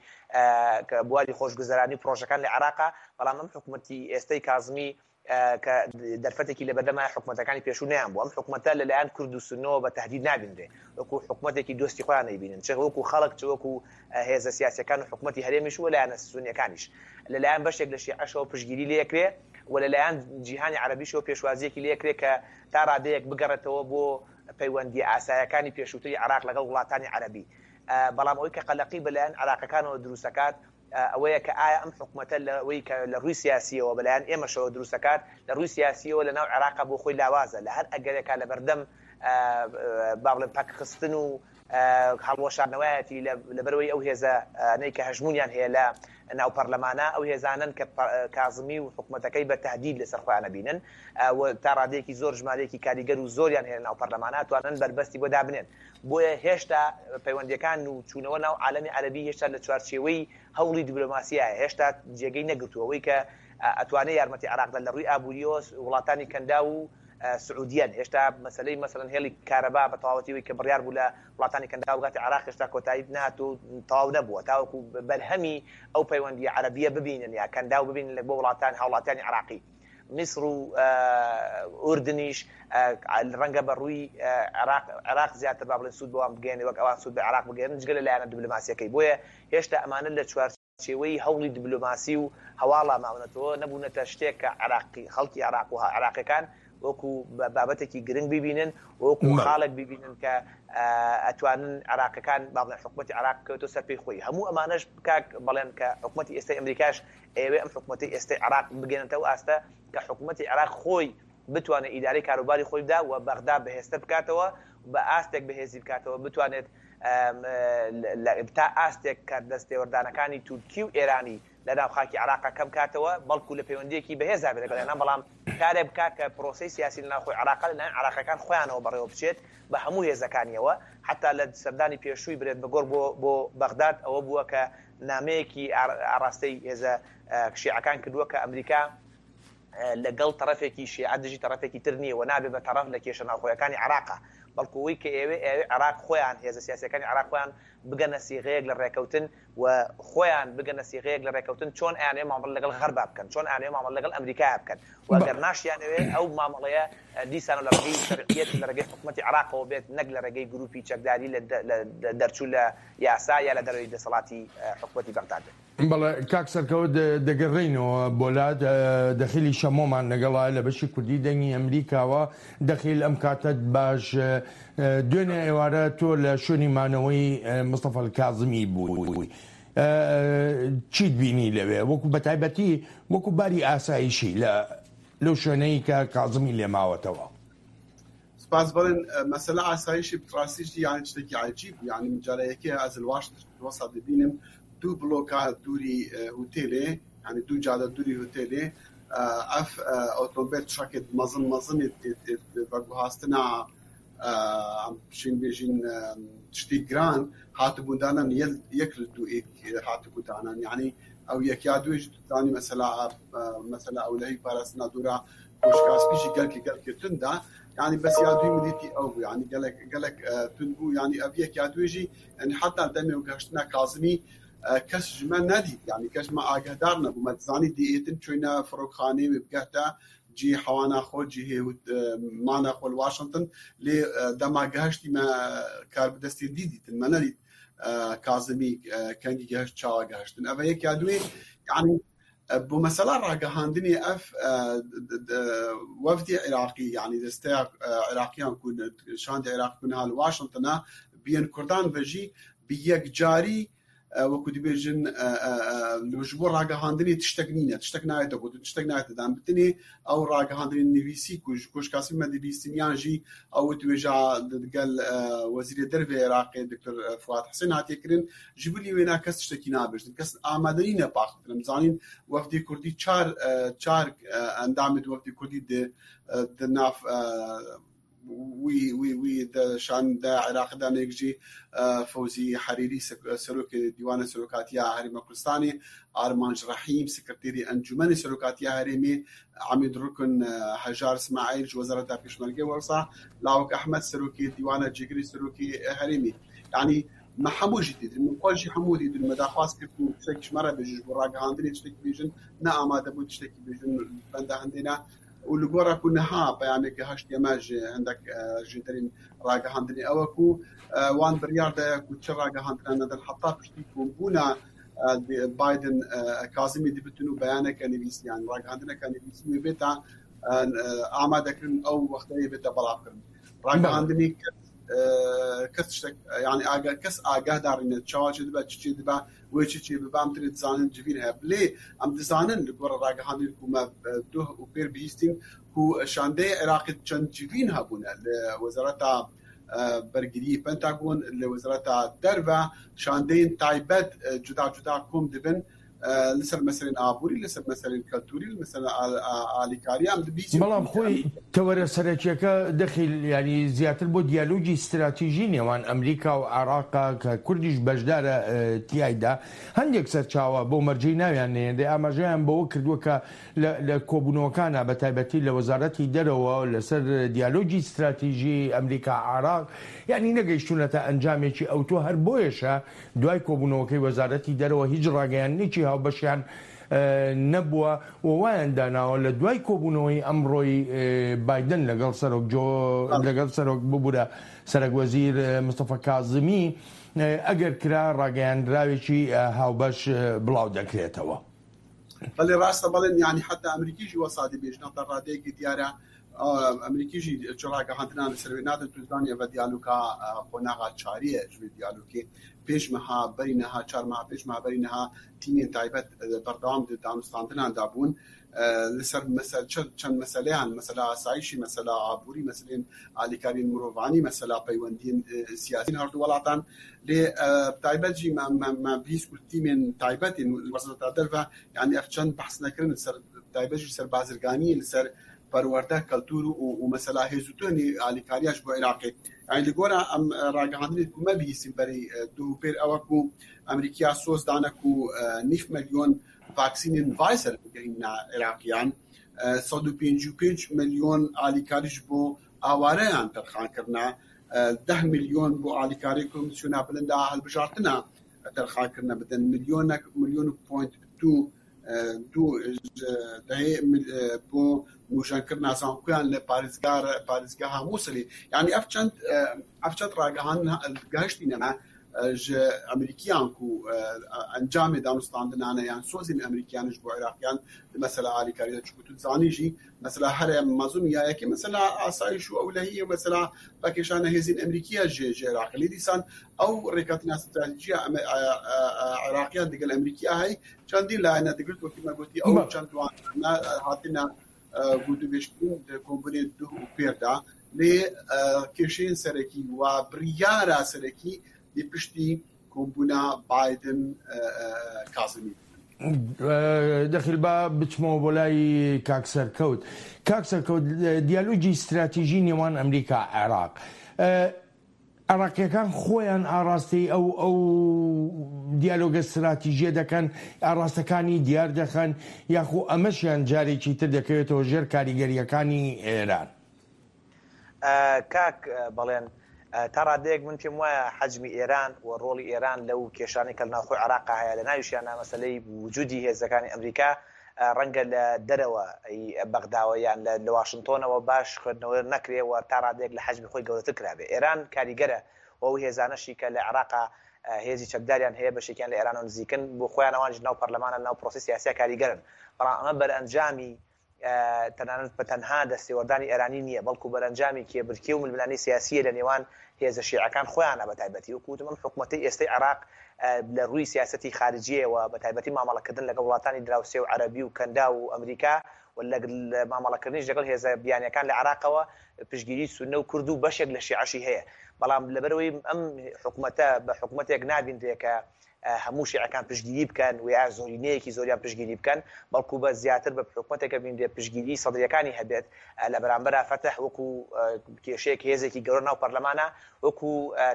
بواری خۆشگوزەرانی و پڕۆژەکان لە عێراقا، بەڵام ئەم حکومەتی ئێستەی کازمی کە دەرفەتێکی لەبەردەمایە حکومەتەکانی پێشوو نەیان بوو، ئەم حکومەتە لەلایەن کورد و سوننەوە بە تەهدید نابینرێ، وەکو حکومەتێکی دۆستی خۆیان ئەیبینن، چ وەکو خەڵک چ وەکو هێزە سیاسیەکان و حکومەتی هەرێمیش و لایەنە سونیەکانیش. لەلایەن بەشێک لە شیعەشەوە پشتگیری لێکرێ و لەلایەن جیهانی عەرەبیشەوە پێشوازیەکی لێکرێ کە تا ڕادەیەک بگەڕێتەوە بۆ پەیوەندیە ئاسایەکانی پێشووتری عێراق لەگەڵ وڵاتانی عەرەبی. بەڵام ئەوەی کە قەلەقی بەلایەن عێراقەکانەوە دروستەکات ئەوەیە کە ئایا ئەم حکومەتە لەوەی کە لە ڕووی سیاسیەوە بەلایەن ئێمەشەوە دروستەکات لە ڕووی سیاسیەوە لەناو عێراقا بۆ خۆی لاوازە لە هەر ئەگەرێکا لەبەردەم با بڵێم پەکخستن و هەڵوەشاندنەوەیەتی لەبەرئەوەی ئەو هێزانەی کە هەژموونیان هەیە لە ناو پەرلەمانە ئەو هێزانەن کە کازمی و حکومەتەکەی بە تەهدید لەسەر خۆیان ئەبینن و تا ڕادەیەکی زۆر ژمارەیەکی کاریگەر و زۆریان هەیە لە ناو پەرلەمانە ئەتوانن بەربەستی بۆ دابنێن بۆیە هێشتا پەیوەندیەکان و چوونەوە ناو عالەمی عەرەبی هێشتا لە چوارچێوەی هەوڵی دیبلۆماسیایە هێشتا جێگەی نەگرتووە ئەوەی کە ئەتوانێ یارمەتی عێراق بدات لە ڕووی ئابووریەوە وڵاتانی کەنداو و سعودیەن، هێشتا مەسەلەی مەسەلەن هێڵی کارەبا بە تەواوەتی ئەوەی کە بڕیار بوو لە وڵاتانی کەنداو بگاتە عێراق هێشتا کۆتایی نەهاتووە و تەواو نەبووە تاوەکو بەرهەمی ئەو پەیوەندییە عەرەبییە ببینن یا کەنداو ببینن لە بۆ وڵاتان هاوڵاتیانی عێراقی. میسر و ئوردنیش ڕەنگە بە ڕووی عێراق عێراق زیاتر با بڵێن سوود بەوان بگەیەنێ وەک ئەوان سوود بە عێراق بگەیەنن جگە لە لایەنە دیبلۆماسییەکەی بۆیە هێشتا ئەمانە لە چوار چێوەی هەوڵی دبلۆماسی و هەواڵا ماونەتەوە، نەبوونەتە شتێک کە عێراقی خەڵکی عێراق و عێراقیەکان وەکو بابەتێکی گرنگ بیبینن و وەکو خاڵێک بیبینن کە ئەتوانن عێراقەکان با بڵێن حکومەتی عێراق بکەوێتەوە سەر پێی خۆی. هەموو ئەمانەش کاک بەڵێن کە حکومەتی ئێستای ئەمریکاش ئەیەوێ ئەم حکومەتەی ئێستای عێراق بگەێنێتە ئەو ئاستە کە حکومەتی عێراق خۆی بتوانێت ئیدارەی کاروباری خۆی بدا و بەغدا بەهێزتر بکاتەوە بە ئاستێک بەهێزی بکاتەوە بتوانێت تا ئاستێک کە دەستێوەردانەکانی تورکی و ئێرانی لە ناو خاکی عێراقا کەم کاتەوە، بەڵکو لە پەیوەندییەکی بەهێزدا بێت لەگەڵ ئێران، بەڵام کارێک بکات کە پرۆسەی سیاسی لە ناوخۆی عێراقا لە لایەن عێراقییەکان خۆیانەوە بەڕێوە بچێت بە هەموو هێزەکانییەوە، حەتا لە سەردانی پێشووی برێت مەگۆرک بۆ بۆ بەغداد ئەوە بووە کە نامەیەکی ئاڕاستەی هێزە شیعەکان کردووە کە ئەمریکا لەگەڵ تەڕەفێکی شیعە دژی تەڕەفێکی تر نییە و نابێ بە تەڕەف لە کێشە ناوخۆیەکانی عێراقا، بەڵکو ئەوەی کە ئەیەوێ ئەیەوێ عێراق خۆیان هێزە سیاسییەکانی عێراق خۆیان بگەنە سیغەیەک لە ڕێکەوتن و خۆیان بگەنە سیغەیەک لە ڕێکەوتن چۆن ئەیانەوێ مامەڵە لەگەڵ غەربا بکەن، چۆن ئەیانەوێ مامەڵە لەگەڵ ئەمریکایا بکەن و گەر ناشیانەوێ ئەو مامەڵەیە دیسانەوە لە ڕێگەی شەرعیەت و لە ڕێگەی حکومەتی عێراقەوە بێت نەک لە ڕێگەی گروپی چەکداری لە دەرچوو لە یاسا یا لە دەرەوەی دەسەڵاتی حکومەتی بەغداد بێت. بەڵێ کاک سەرکەوت دەگەڕێینەوە بۆ لات دەخیلی شەمۆمان لەگەڵە لە بەشی کوردی دەنگی ئەمریکاوە دەخیل ئەم کاتەت باش دوێنێ ئێوارە تۆ لە شوێنی مانەوەی مستەفا کازمی بووی چیت بینی لەوێ وەکو بەتایبەتی وەکو باری ئاسایشی لە لەو شوێنەی کە کازمی لێ ماوەتەوە؟ سپاس بەڵێن مەسەلە ئاسایشی ڕاستیشی یانی شتێکی عەجیب بوو یانی من جارە یەکێ ئەز لە واشنتن وەسا دبینم دوو بلۆکا دووری هوتێلێ یانی دوو جادە دووری هوتێلێ ئەف ئۆتۆمبێل ترەکێت مەزن مەزنێت بەگوهاستنا ئەم شین بێژین شتی گران هاتبوون دانان یەک لە دوو ئێک هاتبوو دانان یعنی ئەو یەک یا دوێژ دانی مەسەلا مەسەلا ئەولەهی پاراستنا دوورا کۆشکاسپی ژی گەلکی گەلکی توندا یعنی بەس یا دوی مدیتی ئەو بوو یعنی گەلک گەلک تون بوو یعنی ئەv یەک یا دوێژی یعنی حتا دەمێ و گەشتنا کازمی کەس ژمە نەدیت یعنی کەس مە ئاگهدار نەبوو مە دزانی دیئێتن چۆینە فڕۆکخانەی وێ بگەهتە جی حەوانا خۆ جی مانا خۆ واشنگتن لێ دەما گەهشتی مە کار بدەستی دی دیتن مە نەدیت کازمی کەنگی گەهشت چاوە گەهشتن ئەvە یەک یا دوێ یعنی بۆ مەسەلا ڕاگەهاندنی ئەف وەفدی عێراقی یعنی دەستەیە عێراقیان کو شاندی عێراق کو نها لە واشنگتنە بیەن کوردان بەژی bi یەکجاری وەکو دبێژن ji بۆ ڕاگەهاندنی تشتێک نینە تشتێک نایێتە گوتن تشتێک نایێتە دان بتنێ ئەو ڕاگەهاندنی نویسی کو ji کۆشکاسی مە دبیستن یان ژی ئەو وتوێژا گەل وەزیرێ دەرڤێ عێراقێ دکتۆر فواد حسێن هاتیە کرن ji bilî wêna kes tiştekî nabêjin kes amade nîne paxtin em zanîn wefdê kurdî çar çar endamê di wefdê kurdî di di nav wî wî wî di şanda Iraqê de nêk jî Fewzî Herîrî Serokê Dîwana Serokatiya Herêma Kurdistanê, Armanc Rehîm Sekreterê Encûmenê Serokatiya Herêmê, Emîd Rukn Hejar Smaîl ji Wezareta Pêşmerge wisa Lawik Ehmed Serokê Dîwana Cêgirê Serokê Herêmê. Yanî me hemû jî dîtin, min xwe jî hemû dîtin, me daxwaz kir ku tiştekî ji me re bêjin, ji bo ragihandinê tiştekî bêjin, ne amade bûn tiştekî bêjin, benda hindê ne. û li gora ku niha peyamêke heştiye me ji hindek jêderên ragihandinê ew e ku wan biryar daye ku çi ragihandina nedin heta piştî kombûna Biden Kazimî dibitin û beyaneke nivîsî yan ragihandineke nivîsî wê bêta amadekirin ew wexteyê bête belavkirin. Ragihandinê kes kes tiştek yani aga kes agahdarîne çawa çê dibe çi çê dibe Wê çi çê bibe em tenê dizanin civîn heye. Lê em dizanin li gora ragihandin ku me duh û pêr bihîstîn ku şandeyê Iraqê çend civîn hebûne li Wezareta Bergiriyê Pentagon, li Wezareta Derve şandeyên taybet cuda cuda kom dibin li ser meselên aborî, li ser meselên keltûrî, li meselên alîkarî em dibihîsîn. بەڵام خۆی تەوەرە سەرەکیەکە دەخیل یانی زیاتر بۆ دیالۆگی ستراتیژی نێوان ئەمریکا و عێراقە کە کوردیش بەشدارە تیایدا، هەندێک سەرچاوە بەو مەرجەی ناویان نەهێنرێ ئاماژەیان بەوە کردووە کە لە کۆبوونەوەکانا بە تایبەتی لە وەزارەتی دەرەوە لەسەر دیالۆگی ستراتیژی ئەمریکا عێراق یانی نەگەیشتوونەتە ئەنجامێکی ئەوتۆ هەر بۆیەشە دوای کۆبوونەوەکەی وەزارەتی دەرەوە هیچ ڕاگەیاندنێکی هاوبەشیان نەبووە و وایان داناوە لە دوای کۆبوونەوەی ئەمڕۆی بایدن لەگەڵ سەرۆک جۆ لەگەڵ سەرۆک ببورە سەرەک وەزیر مستەفا کازمی ئەگەر کرا ڕاگەیاندراوێکی هاوبەش بڵاو دەکرێتەوە. بەڵێ ڕاستە بەڵێن یانی حتا ئەمریکیش وەسا دەبێژن تا ڕادەیەکی دیارە. ئەمریکی ژی چ ڕاگەهاندنان لەسەر وێ نادەن تو زانی ئەڤە دیالوگا قۆناغا چاریە ji wê diyalogê pêş meha berî niha çar meha pêş meha berî niha tîmên taybet berdewam di danûstandinan da bûn li ser mesel çend meseleyan mesela asayîşî mesela aborî meselên alîkariyên mirovanî mesela peywendiyên siyasî her du welatan lê taybet jî me me me bihîst ku tîmên taybet ên wezareta derve yanî ev çend behs nekirin li ser taybet jî li ser bazirganiyê li ser perwerde, keltûr û mesela hêz û tuhnê alîkariya ji bo Iraqê. Yanî li gora em ragihandinê ku me bihîstîn berî duh û pêr ew e ku Amerîkiya soz dane ku nîv milyon vaksînên Pfizer bigihîne Iraqiyan, 155 milyon alîkarî ji bo awareyan terxan kirine, 10 milyon bo alîkarî Komîsyona Bilind a Hilbijartina terxan kirine bidin, milyonek milyon û point du Du dehê bo nûjenkirina zankoyan li parêzgar parêzgeha Mûsilê. Yanî ev çend ev çend ragihandin gihiştîne me ji Amerîkiyan ku encamê danûstandinane yan sozên Amerîkiyan ji bo Iraqiyan di mesela alîkarî de çunku tu dizanî jî mesela here mezin ya yekê mesela asayîş û ewlehiyê mesela vekêşana hêzên Amerîkî ye ji ji Iraqê. Lê dîsan ew rêketina stratejîya Iraqiyan digel Amerîkiya heye Çendî layene digirt wekî me gotî ew çend wan hatine gotûbêjkirin di kombûnê duh û pêr de lê kêşeyên serekî û biryara serekî dê piştî kombûna Biden Kazimî bibin. دەخیل با بچمەوە بۆ لای کاک سەرکەوت. کاک سەرکەوت دیالۆگی ستراتیژی نێوان ئەمریکا عێراق عێراقییەکان خۆیان ئاڕاستەی ئەو ئەو دیالۆگە ستراتیژیە دەکەن، ئاڕاستەکانی دیار دەخەن، یاخۆ ئەمەشیان جارێکی تر دەکەوێتەوە ژێر کاریگەرییەکانی ئێران؟ کاک بەڵێن، تا ڕادەیەک من پێم وایە حەجمی ئێران و ڕۆڵی ئێران لەو کێشانەی کە لە ناوخۆی عێراقا هەیە، لە ناویشیاندا مەسەلەی وجودی هێزەکانی ئەمریکا، ڕەنگە لە دەرەوە ی بەغداوە یان لە لە واشنتۆنەوە باش خوێندنەوە نەکرێ و تا ڕادەیەک لە حەجمی خۆی گەورەتر کرابێ. ئێران کاریگەرە و ئەو هێزانەشی کە لە عێراقا هێزی چەکداریان هەیە بەشێکیان لە ئێرانەوە نزیکن، بۆ خۆیان ئەوانیش لەناو پەرلەمانە لەناو پرۆسەی سیاسیا کاریگەرن. بەڵام ئەمە بەرئەنجامی تەنانەت بە تەنها دەستێوەردانی ئێرانی نییە، بەڵکو بەرئەنجامی کێبرکێ و ململانێی سیاسییە لە نێوان هێزە شیعەکان خۆیانە بە تایبەتی وەکو وتم ئەم حکومەتەی ئێستەی عێراق لە رووی سیاسەتی خارجییەوە بە تایبەتی مامەڵەکردن لەگەڵ وڵاتانی دراوسێ و عەرەبی و کەنداو و ئەمریکا و لە مامەڵەکردنیش لەگەڵ هێزە بیانیەکان لە عێراقەوە پشتگیری سوننە و کورد و بەشێک لە شیعەشی هەیە بەڵام لەبەرئەوەی ئەم حکومەتە بە حکومەتێک نابینرێ کە هەموو شیعەکان پشتگیری بکەن و یا زۆرینەیەکی زۆریان پشتگیری بکەن، بەڵکو بە زیاتر بە حکومەتێک ئەبینرێت پشتگیری سەدرییەکانی هەبێت، لە بەرامبەرا فەتح وەکو کێشەیەک هێزێکی گەورە ناو پەرلەمانە وەکو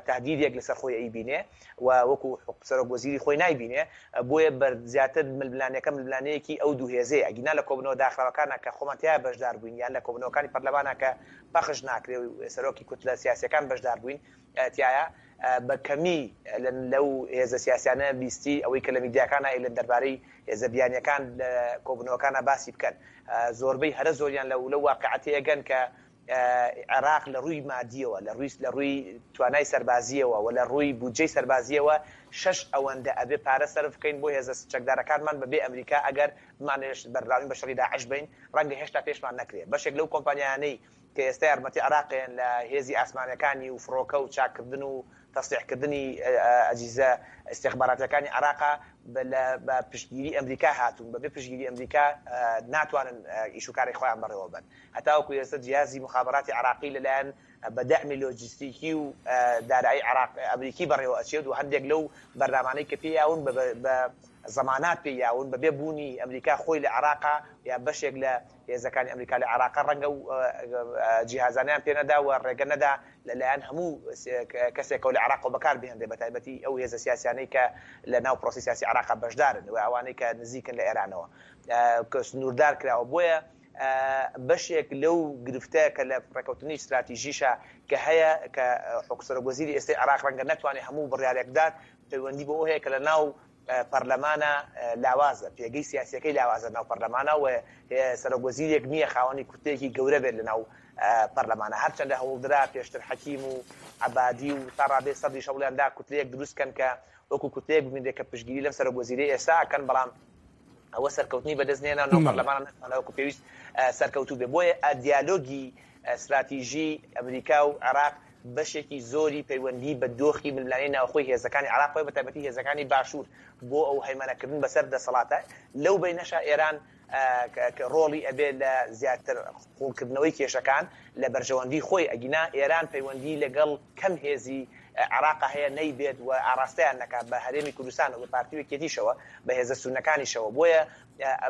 تەهدیدێک لەسەر خۆی ئەیبینێ و وەکو سەرۆک وەزیری خۆی نایبینێ، بۆیە بەر زیاتر ململانێکە ململانێیەکی ئەو دوو هێزەیە، ئەگینا لە کۆبوونەوە داخراوەکانا کە خۆمان تیایا بەشدار بووین یان لە کۆبوونەوەکانی پەرلەمانا کە پەخش ناکرێ و سەرۆکی کوتلە سیاسیەکان بەشدار بووین تیایا بە کەمی لەو هێزە سیاسیانە بیستی ئەوەی کە لە میدیاکانا ئەیلێن دەربارەی هێزە بیانیەکان لە کۆبونەوەکانا باسی بکەن زۆربەی هەرە زۆریان لەو لەو واقیعە تێئەگەن کە عێراق لە ڕووی مادیەوە لە ڕووی لە ڕووی توانای سەربازیەوە و لە ڕووی بودجەی سەربازیەوە شەش ئەوەندە ئەبێ پارە سەرف بکەین بۆ هێزە چەکدارەکانمان بە بێ ئەمریکا ئەگەر بمانەوێت بەردەوامی بە شەڕی داعش بەین ڕەنگە هێشتا پێشمان نەکرێ بەشێک لەو کۆمپانیایانەی کە ئێستا یارمەتی عێراقێن لە هێزی ئاسمانەکانی و فڕۆکە و چاککردن و تەسلیحکردنی ئەجیزە ئیستیخباراتیەکانی عێراقا بە پشتگیری ئەمریکا هاتوون، بەبێ پشتگیری ئەمریکا ناتوانن ئیش و کاری خۆیان بەڕێوە بەن. هەتاوەکو ئێستا جیهازی موخابەراتی عێراقی لەلایەن بە دەعمی لۆجستیکی و دارایی عێراق ئەمریکی بەڕێوە ئەچێت و هەندێک لەو بەرنامانەی کە پێی یاون بە زەمانات پێی یاون بەبێ بوونی ئەمریکا خۆی لە عێراقا یا بەشێک لە هێزەکانی ئەمریکا لە عێراقە ڕەنگە و جیهازانیان پێ نەدا و ڕێگە نەدا لەلایەن هەموو کەسێکەوە لە عێراقەوە بەکار بهێنرێ بەتایبەتی ئەو هێزە سیاسیانەی کە لە ناو پرۆسەی سیاسی عێراقا بەشدارن و ئەوانەی کە نزیکن لە ئێرانەوە کە سنووردار کراوە بۆیە بەشێک لەو گرفتە کە لە ڕێکەوتنی ستراتیژیشە کە هەیە کە حکوسەرۆک وەزیری ئێستای عێراق ڕەنگە نەتوانێت هەموو بڕیارێک بدات پەیوەندی بەوە هەیە کە لە ناو پەرلەمانە لاوازە، پێگەی سیاسیەکەی لاوازە ناو پەرلەمانە و سەرۆک وەزیرێک نییە خاوەنی کوتلەیەکی گەورە بێت لەناو پەرلەمانە، هەرچەندە هەوڵدرا پێشتر حەکیم و عەبادی و تا ڕادەی سەدریش هەوڵیان دا کوتلەیەک دروست کەن کە وەکو کوتلەیەک ببینرێت کە پشتگیری لەم سەرۆک وەزیرەی ئێستا ئەکەن، بەڵام. ئەوە سەرکەوتنی بەدەست نێنا ناو پەرلەمانە نەتوانرا وەکو پێویست سەرکەوتوو بێ. بۆیە دیالۆگی ستراتیژی ئەمریکا و عێراق بەشێکی زۆری پەیوەندی بە دۆخی ململانێی ناوخۆی هێزەکانی عێراقەوە بە تایبەتی هێزەکانی باشوور بۆ ئەو هەیمەنەکردن بەسەر دەسەڵاتە. لەو بەینەشا ئێران ڕۆڵی ئەبێ لە زیاتر قوڵکردنەوەی کێشەکان لە بەرژەوەندی خۆی، ئەگینا ئێران پەیوەندی لەگەڵ کەم هێزی عێراقا هەیە نەیبێت و ئاڕاستەیان نەکات بە هەرێمی کوردستان و بە پارتی و یەکێتیشەوە، بە هێزە سوننەکانیشەوە. بۆیە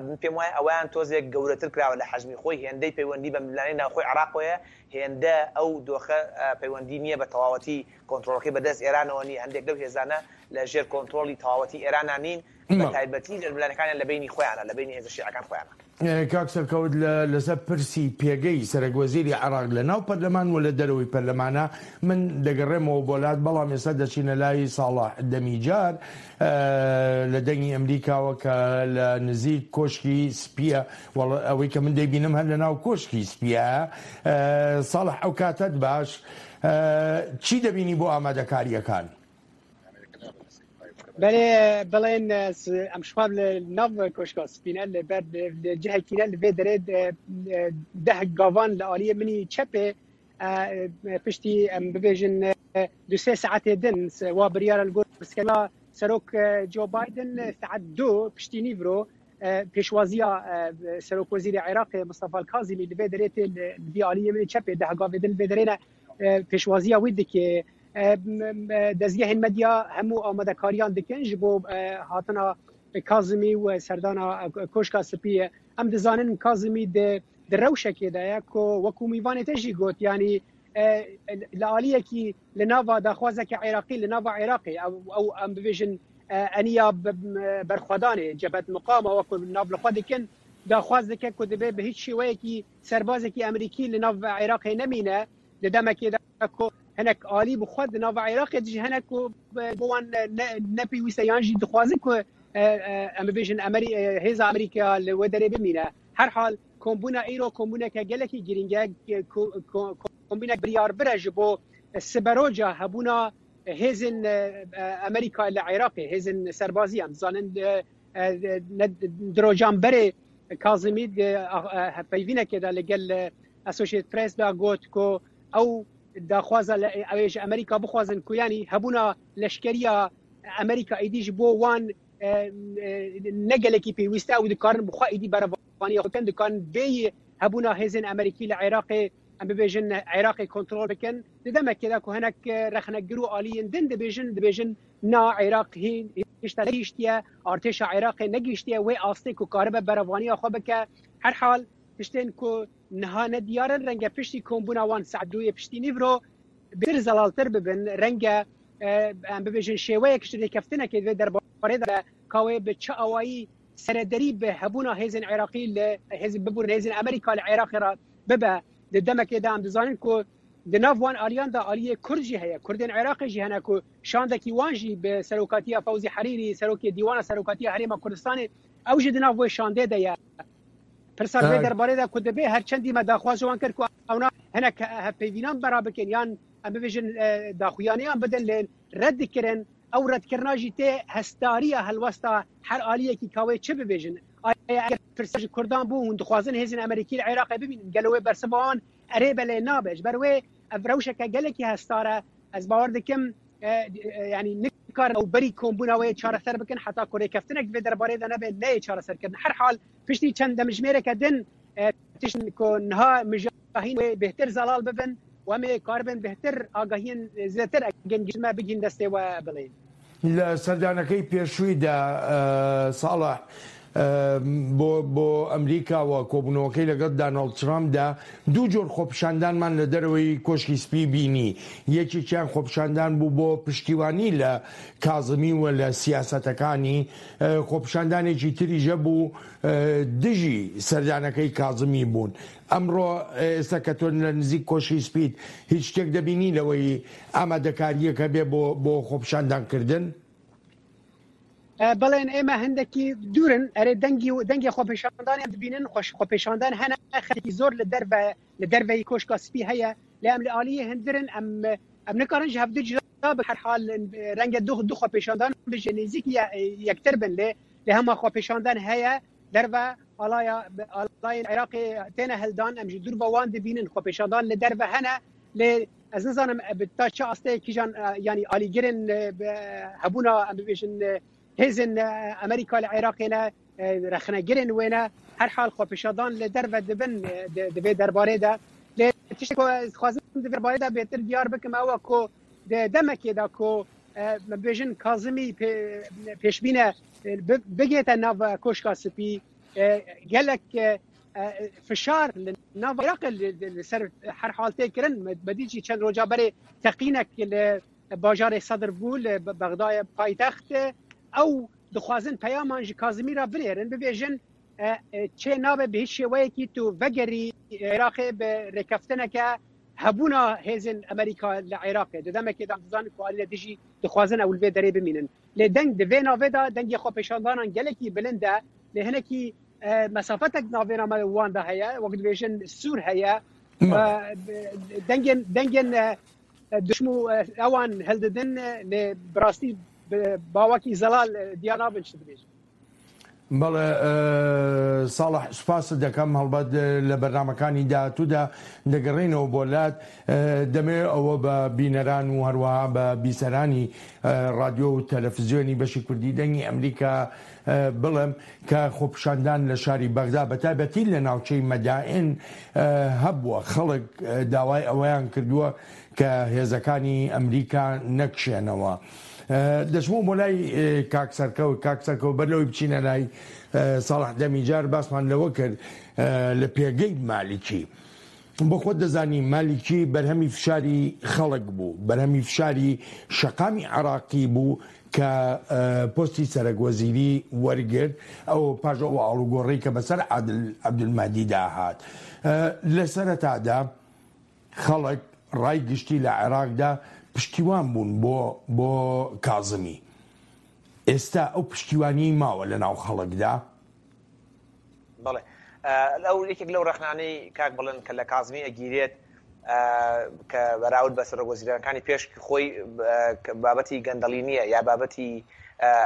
من پێم وایە ئەوەیان تۆزێک گەورەتر کراوە لە حەجمی خۆی، هێندەی پەیوەندی بە ململانێی ناوخۆی عێراقەوەیە، هێندە ئەو دۆخە پەیوەندی نییە بە تەواوەتی کۆنترۆڵەکەی بەدەست ئێرانەوە نییە، هەندێک لەو هێزانە لە ژێر کۆنترۆڵی تەواوەتی ئێرانا نین، بە تایبەتی ململانێکانیان لە بەینی خۆیانە، لە بەینی هێزە شیعەکان خۆیانە. کاک سەرکەوت لە لەسەر پرسی پێگەی سەرەک وەزیری عێراق لە ناو پەرلەمان و لە دەرەوەی پەرلەمانە من دەگەڕێمەوە بۆ لات بەڵام ئێستا دەچینە لای ساڵح دەمیجار لە دەنگی ئەمریکاوە کە لە نزیک کۆشکی سپیە ئەوەی کە من دەیبینم هەر لە ناو کۆشکی سپیە ساڵح ئەو کاتەت باش چی دەبینی بۆ ئامادەکاریەکان؟ بەێ بڵێن ئەم شواب لە ناو کۆشکا سپینە لە بەر لە جهکینە لە vê derê ده گاوان لە ئالیە منی چەپێ پشتی ئەم ببێژن دو سێ ساعتێ دن وا بریارە لە گۆر سکەلا سەرۆک جۆ بایدن ساعت دو پشتی نیڤرۆ پێشوازیە سەرۆک وەزیری عێراقێ مستەفا کازیمی لە vê derê tê li vî aliyê min çepê ده gavê din li vê derê ne pêşwaziya wî dike. Dezgehên medya hemû amadekariyan dikin ji bo hatina Kazimî û serdana Koşka Spî. Em dizanin Kazimî di di rewşekê de ye ku wekû mîvanê te jî got yanî li aliyekî li nava daxwazeke Iraqî li nava Iraqê ew ew em bibêjin eniya berxwedanê Cebhet Muqama wekû nav li xwe dikin daxwaz dike ku dibe bi hîç şêweyekî serbazekî Amerîkî li nav Iraqê nemîne di demekê de ku hinek alî bi xwe di nava Iraqê de jî hene ku bo wan ne pêwîst e yan jî dixwazin ku em bibêjin hêza Amerîka li wê derê bimîne. Herhal kombûna îro kombûneke gelekî girîng e, kombînek biryarbir e ji bo siberoja hebûna hêzên Amerîka li Iraqê, hêzên serbazî em dizanin di rojan berê Kazimî di hevpeyvînekê de li gel Associated Press de got ku ew daxwaza ew ê ji Amerîka bixwazin ku yanî hebûna leşkeriya Amerîka êdî ji bo wan ne gelekî pêwîst e ew dikarin bi xwe êdî berevaniya xwe bikin dikarin bêyî hebûna hêzên Amerîkî li Iraqê em bibêjin Iraqê kontrol bikin di demekê de ku hinek rexnegir û aliyên din dibêjin dibêjin na Iraq hîn hişta negihîştiye artêşa Iraqê negihîştiye wê astê ku karibe berevaniya xwe bike herhal tiştên ku Niha ne diyar in renge piştî kombûna wan saet duyê piştî nîvro bêtir zelaltir bibin, renge em bibêjin şêweyek ji rêkeftinekê di vê derbarê de be ka wê bi çi awayî serederî bi hebûna hêzên Iraqî li hêzên bibûrin hêzên Amerîka li Iraqê re bibe. Di demekê de em dizanin ku di nav wan aliyan de aliyê Kurd jî heye, Kurdên Iraqê jî hene ku şandekî wan jî bi serokatiya Fewzî Herîrî serokê Dîwana Serokatiya Herêma Kurdistanê ew jî di nav wê şandê de ye. Pirsa vê derbarê de ku dibe her çendî me daxwaz ji wan kir ku ewna hinek hevpeyvînan bera bikin yan em bibêjin daxuyaniyan bidin lê red dikirin ew redkirina jî tê hestariya helwesta her aliyekî ka wê çi bibêjin. Aya eger pirsa ji Kurdan bû hûn dixwazin hêzên Amerîkî li Iraqê bibînin gelo wê bersiva wan erê be lê nabe ji ber wê ev rewşeke gelekî hestar e ez bawer dikim yanî nikarin ew berî kombûna wê çareser bikin heta ku rêkeftinek vê derbarê de nebe neyê çareserkirin. Herhal piştî çend demjimêreke din tiştên ku niha mijahîn wê bêhtir zelal bibin û em ê karibin bêhtir agahiyên zêdetir egên giştî me bigihîn destê we bilên. لە سەردانەکەی پێشوویدا ساڵح بۆ بۆ ئەمریکا و کۆبوونەوەکەی لەگەڵ دانۆڵد ترامپدا دوو جۆر خۆپیشاندانمان لە دەرەوەی کۆشکی سپی بینی یەکێکیان خۆپیشاندان بوو بۆ پشتیوانی لە کازمی و لە سیاسەتەکانی خۆپیشاندانێکی تریش هەبوو دژی سەردانەکەی کازمی بوون ئەمڕۆ ئێستا کە تۆ لە نزیک کۆشکی سپیت هیچ شتێک دەبینی لەوەی ئامادەکارییەکە بێ بۆ بۆ خۆپیشاندان کردن؟ بەڵێن ئێمە هەندێکی دوورن ئەرێ دەنگی و دەنگی خۆپیشاندان دەبینن خۆش خۆپیشاندان هەنە خەڵکی زۆر لە دەربە لە دەربەی کۆشکا سپی هەیە لە ئەم لە ئالیە هەندرن ئەم ئەم نکارن ji هەڤدو جدا بن هەر حال رەنگە دوو دوو خۆپیشاندان بژێ نزیک یەکتر بن لێ لە هەما خۆپیشاندان هەیە. دەرڤە ئاڵایا ئاڵایên عێراقê تێنە هەلدان ئەم ji dûr ve wan dibînin xwepêşandan li derve hene lê ez nizanim bi ta çi asteyê kîjan yanî alîgirên hebûna em bibêjin hêzên Amerîka li Iraqê ne rexnegirên wê ne herhal xwepêşandan li derve dibin di vê derbarê de lê tiştê ku ez dixwazim di vê derbarê de bêtir diyar bikim ew e ku di demekê de ku me bibêjin Kazimî pêşbîne bigihête nav Koşka Spî gelek fişar li nav Iraqê li ser her hal tê kirin. Me dît jî çend roja berê teqînek li bajarê Sedr bû li Bexdayê paytext. Ew dixwazin peyaman ji Kazimî re binêrin bibêjin çê nabe bi hiç şêweyekî tu vegerî Iraqê bi rêkeftineke Hebûna hêzên Amerîka li Iraqê di demekê de em dizanin ku alî li dijî dixwazin ew li vê derê bimînin. Lê deng di vê navê de dengê xwepêşandanan gelekî bilind e. Lê hinekî mesafetek di navbêna me û wan de heye. Wek dibêjin sûr heye. Dengên dengên duşm û ewan hildidin lê bi rastî bi bawekî zelal diyar nabin çi dibêjin. بەڵێ ساڵح سوپاست دەکەم هەڵبەت لە بەرنامەکانی داهاتوودا دەگەڕێینەوە بۆ لات دەمەوێت ئەوە بە بینەران و هەروەها بە بیسەرانی ڕادیۆ و تەلەفزیۆنی بەشی کوردی دەنگی ئەمریکا بڵێم کە خۆپیشاندان لە شاری بەغدا بە تایبەتی لە ناوچەی مەدائن هەبووە خەڵک داوای ئەوەیان کردووە کە هێزەکانی ئەمریکا نەکشێنەوە. دەچمەوە بۆ لای کاک سەرکەوت، کاک سەرکەوت بەر لەوەی بچینە لای ساڵح دەمیجار باسمان لەوە کرد لە پێگەی مالیکی بۆ خۆت دەزانی مالیکی بەرهەمی فشاری خەڵک بوو بەرهەمی فشاری شەقامی عراقی بوو کە پۆستی سەرەک وەزیری وەرگرت ئەو پاش ئەو ئاڵوگۆڕی کە بەسەر عادل عەبدولمەهدیدا هات لە سەرەتادا خەڵک، ڕای گشتی لە عێراقدا پشتیوان بوون بۆ بۆ کازمی. ئێستا ئەو پشتیوانیەی ماوە لە ناو خەڵکدا؟ بەڵێ ئەو یەکێک لەو ڕەخنانەی کاک بڵێن کە لە کازمی ئەگیرێت کە بەراورد بە سەرۆک وەزیرانەکانی پێش خۆی بابەتی گەندەڵی نییە یا بابەتی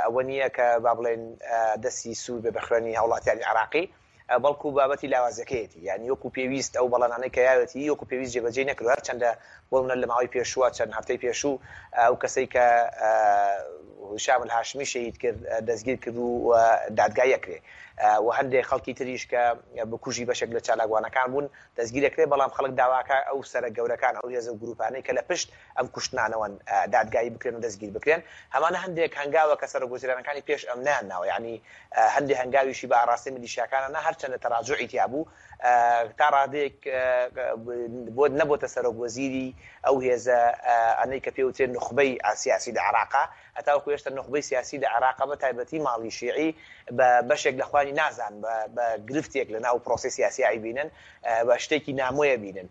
ئەوە نییە کە با بڵێن دەستی سوور بێ بە خوێنی هاوڵاتیانی عێراقی بەڵکو بابەتی لاوازیەکەیەتی یانی وەکو پێویست ئەو بەڵێنانەی کە یاوێتی وەکو پێویست جێبەجێی نەکردوە هەرچەندە بۆ منە لە ماوەی پێشووە چەند هەفتەی پێشوو ئەو کەسەی کە هشام الهاشمی شەهید کرد دەستگیر کرد و دادگایی ئەکرێ و هەندێک خەڵکی تریش کە بکوژی بەشێک لە چالاکوانەکان بوون دەستگیر ئەکرێ بەڵام خەڵک داواکە ئەو سەرە گەورەکان ئەو هێزە و گروپانەی کە لە پشت ئەم کوشتنانەوەن دادگایی بکرێن و دەستگیر بکرێن هەمانە هەندێک هەنگاوە کە سەرۆک وەزیرانەکانی پێش ئەم نەیان ناوە یانی هەندێ هەنگاویشی بە ئاڕاستەی میلیشیاکانە نا هەرچەندە تەراجوعی تیا بوو تا ڕادەیەک بۆ نەبۆتە سەرۆک وەزیری ئەو هێزە ئەنەی کە پێوترێ نوخبەی سیاسی لە عێراقا هەتاوەکو هێشتا نوخبەی سیاسی لە عێراقا بە تایبەتی ماڵی شیعی بە بەشێک لە خوانی نازان بە گرفتێک لە ناو پرۆسەی سیاسی ئەیبینن بە شتێکی نامۆیە بینن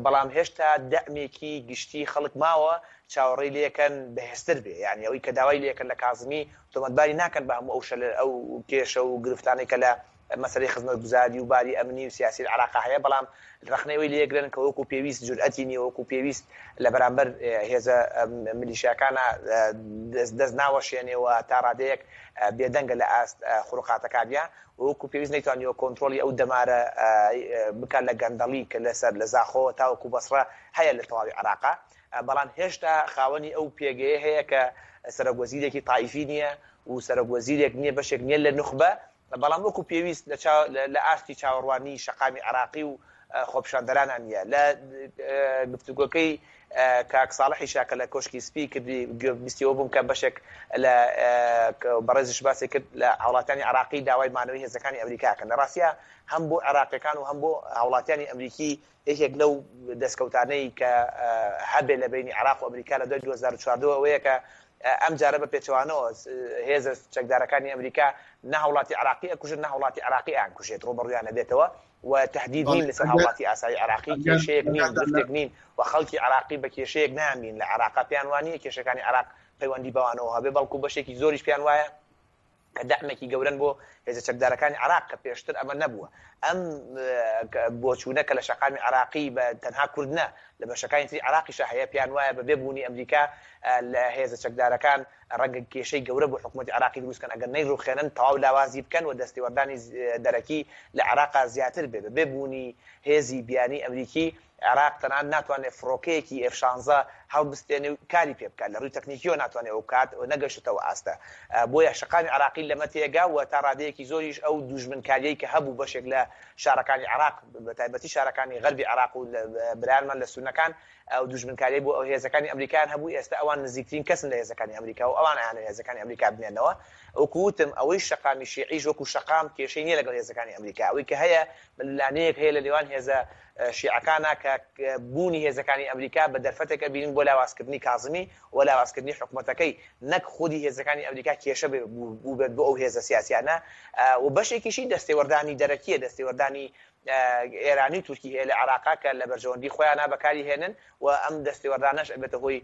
بەڵام هێشتا دەعمێکی گشتی خەڵک ماوە چاوەڕێی لێکەن بەهێزتر بێ یانی ئەوەی کە داوای لێکەن لە کازمی تۆمەتباری ناکەن بە هەموو ئەو شەلە ئەو کێشە و گرفتانەی کە لە مەسەلەی خزمەتگوزاری و باری ئەمنی و سیاسی لە عێراقا هەیە، بەڵام ڕەخنەی ئەوەی لێگرن کە وەکو پێویست جورئەتی نییە، وەکو پێویست لە بەرامبەر هێزە میلیشیاکانا دەست ناوەشێنێ و تا ڕادەیەک بێدەنگە لە ئاست خروقاتەکانیا و وەکو پێویست نەیتوانیوە کۆنترۆڵی ئەو دەمارە بکات لە گەندەڵی کە لەسەر لە زاخۆوە تاوەکو بەسڕە هەیە لە تەواوی عێراقا. بەڵام هێشتا خاوەنی ئەو پێگەیە هەیە کە سەرۆک وەزیرێکی تایفی نییە و سەرۆک وەزیرێک نییە بەشێک نییە لە نوخبە، بەڵام وەکو پێویست لە ئاستی چاوەڕوانی شەقامی عێراقی و خۆپیشاندەرانا نییە. لە گفتوگۆکەی کاک ساڵحیشا کە لە کۆشکی سپی کردی گوێبیستی ئەوە بووم کە بەشێک لە بەڕێزیش باسی کرد لە هاوڵاتیانی عێراقی داوای مانەوەی هێزەکانی ئەمریکا کەن. لە ڕاستیا هەم بۆ عێراقیەکان و هەم بۆ هاوڵاتیانی ئەمریکی یەکێک لەو دەستکەوتانەی کە هەبێ لە بەینی عێراق و ئەمریکا لە دوای 2014 ئەوەیە کە ئەم جارە بە پێچەوانەوە هێزە چەکدارەکانی ئەمریکا نە هاوڵاتی عێراقی ئەکوژن نە هاوڵاتی عێراقی ئەیانکوژێت ڕووبەڕوویان ئەبێتەوە و تهدید نین لەسەر هاوڵاتی ئاسایی عێراقی کێشەیەک نین گرفتێک نین و خەڵکی عێراقی بە کێشەیەک نایانبین لە عێراقا پێیان وانییە کێشەکانی عێراق پەیوەندی بەوانەوە هەبێ بەڵکو بەشێکی زۆریش پێیان وایە کە دەعمێکی گەورەن بۆ هێزە چەکدارەکانی عێراق کە پێشتر ئەمە نەبووە. ئەم بۆچوونە کە لە شەقامی عێراقی بە تەنها کورد نا، لە بەشەکانی تری عێراقیشا هەیە، پێیان وایە بە بێ بوونی ئەمریکا لە هێزە چەکدارەکان ڕەنگە کێشەی گەورە بۆ حکوومەتی عێراقی دروست کەن ئەگەر نەیڕوخێنن تەواو لاوازی بکەن و دەستێوەردانی دەرەکی لە عێراقا زیاتر بێ بە بێ بوونی هێزی بیانی ئەمریکی عێراق تەنانەت ناتوانێت فڕۆکەیەکی ئێف شانزە هەڵبستێنێ و کاری پێ بکات، لە ڕووی تەکنیکییەوە ناتوانێت ئەوە بکات و نەگەیشتۆتە ئەو ئاستە. بۆیە شەقامی عێراقی لەمە تێگا و تا ڕادەیەکی زۆریش ئەو دووژمنکارییەی کە هەبوو بەشێک لە شارەکانی عێراق بە تایبەتی شارەکانی غەربی عێراق و برایانمان لە سوننەکان ئەو دوژمنکاریەی بۆ هێزەکانی ئەمریکایان هەبوو ئێستا ئەوان نزیکترین کەسن لە هێزەکانی ئەمریکا و ئەوان ئەیانەوێت هێزەکانی ئەمریکا بمێنەوە. وەکو وتم ئەوەی شەقامی شیعیش وەکو شەقام کێشەی نیە لەگەڵ هێزەکانی ئەمریکا ئەوەی کە هەیە ململانێیەک هەیە لە نێوان هێزە شیعەکانا کە بوونی هێزەکانی ئەمریکا بە دەرفەتێک ئەبینن بۆ لاوازکردنی کازمی و لاوازکردنی حکومەتەکەی نەک خودی هێزەکانی ئەمریکا کێشە بووبێت بۆ ئەو هێزە سیاسیانە و بەشێکیشی دەستێوەردانی دەرەکیە دەستێوەردانی ئێرانی و تورکی هەیە لە عێراقا کە لە بەرژەوەندی خۆیانا بەکاری هێنن و ئەم دەستێوەردانەش ئەبێتە هۆی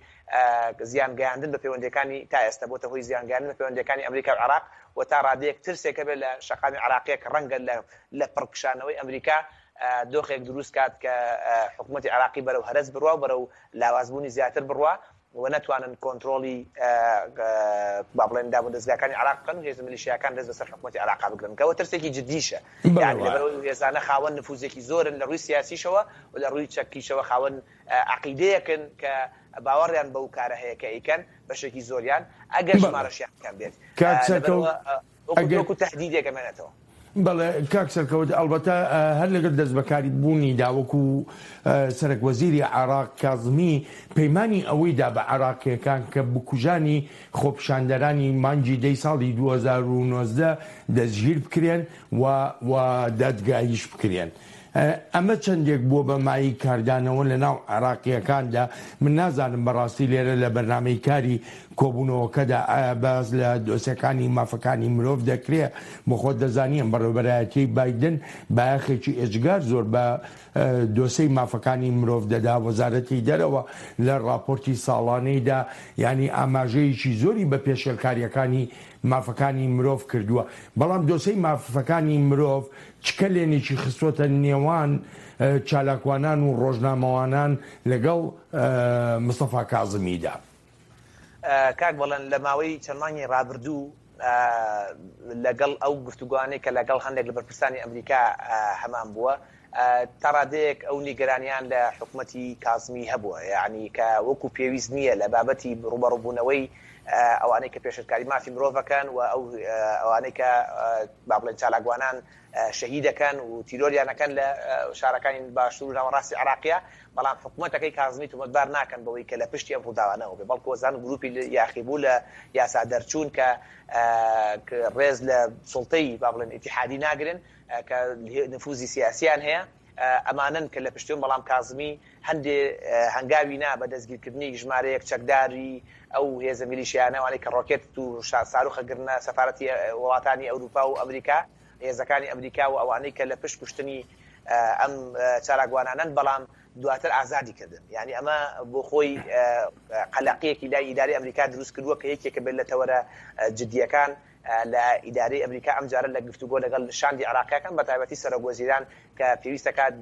زیان گەیاندن بە پەیوەندیەکانی تا ئێستا بۆتە هۆی زیان گەیاندن بە پەیوەندیەکانی ئەمریکا و عێراق و تا ڕادەیەک ترسێک هەبێت لە شەقامی عێراقیە کە ڕەنگە لە لە پڕ کشانەوەی ئەمریکا دۆخێک دروست کات کە حکوومەتی عێراقی بەرەو هەرەس بڕوا و بەرەو لاوازبوونی زیاتر بڕوا و نەتوانن کۆنترۆڵی با بڵێن دامودەزگاکانی عێراق بکەن و هێزە میلیشیاکان دەست بەسەر حکوومەتی عێراقا بگرن کە ئەوە ترسێکی جدیشە یانی لەبەرئەوەی ئەو هێزانە خاوەن نفوزێکی زۆرن لە ڕووی سیاسیشەوە و لە ڕووی چەکیشەوە خاوەن عەقیدەیەکن کە باوەڕیان بەو کارە هەیە کە ئەیکەن بەشێکی زۆریان ئەگەر ژمارەشیان کەم بێت لەبەرئەوە وەکو تەهدیدێک ئەمێنێتەوە. بەڵێ کاک سەرکەوت، ئەڵبەتە هەر لەگەڵ دەستبەکاری بوونیدا وەکو سەرەک وەزیری عێراق کازمی پەیمانی ئەوەی دا بە عێراقییەکان کە بکوژانی خۆپیشاندەرانی مانگی دەی ساڵی 2019 دەستگیر بکرێن و و دادگاییش بکرێن. ئەمە چەندێک بووە بە مایەی کاردانەوە لە ناو عێراقییەکاندا، من نازانم بەڕاستی لێرە لە بەرنامەی کاری کۆبوونەوەکەدا ئایا باس لە دۆسێکانی مافەکانی مرۆڤ دەکرێ؟ بۆ خۆت دەزانی ئەم بەڕێوەبەرایەتیەی بایدن بایەخێکی ئێجگار زۆر بە دۆسێی مافەکانی مرۆڤ دەدا، وەزارەتی دەرەوە لە ڕاپۆرتی ساڵانەیدا یانی ئاماژەیەکی زۆری بە پێشێلکارییەکانی مافەکانی مرۆڤ کردووە، بەڵام دۆسێی مافەکانی مرۆڤ چ کەلێنێکی خستووەتە نێوان چالاکوانان و ڕۆژنامەوانان لەگەڵ مستەفا کازمیدا؟ کاک بەڵێن لە ماوەی چەند مانگی ڕابردوو لەگەڵ ئەو گفتوگۆانەی کە لەگەڵ هەندێک لە بەرپرسانی ئەمریکا هەمان بووە تا ڕادەیەک ئەو نیگەرانیان لە حکومەتی کازمی هەبووە یعنی کە وەکو پێویست نییە لە بابەتی ڕوبەڕوبوونەوەی ئەوانەی کە پێشلکاری مافی مرۆڤەکەن و ئەو ئەوانەی کە با بڵێن چالاکوانان شەهیدەکەن و تیرۆریانەکەن لە شارەکانی باشوور و ناوەڕاستی عێراقیا، بەڵام حکومەتەکەی کازمی تۆمەتبار ناکەن بەوەی کە لە پشتی ئەم ڕووداوانەوە بێ، بەڵکو ئەزانن گروپی یاخیبوو لە یاسا دەرچوون کە ڕێز لە سوڵتەی با بڵێن ئیتیحادی ناگرن کە نفوزی سیاسیان هەیە ئەمانەن کە لە پشتیون، بەڵام کازمی هەندێ هەنگاوی نا بە دەستگیرکردنی ژمارەیەک چەکداری ئەو هێزە میلیشیانە ئەوانەی کە ڕۆکێت و ساروخە گرنە سەفارەتی وڵاتانی ئەوروپا و ئەمریکا هێزەکانی ئەمریکا و ئەوانەی کە لە پشت کوشتنی ئەم چالاکوانانەن بەڵام دواتر ئازادی کردن یعنی ئەمە بۆ خۆی قەلەقیەکی لای ئیداری ئەمریکا دروست کردووە کە یەکێکە بێت لە تەوەرە جدیەکان لە ئیدارەی ئەمریکا ئەمجارە لە گفتوگۆ لەگەڵ شاندی عێراقیەکان بە تایبەتی سەرۆک وەزیران کە پێویستەکات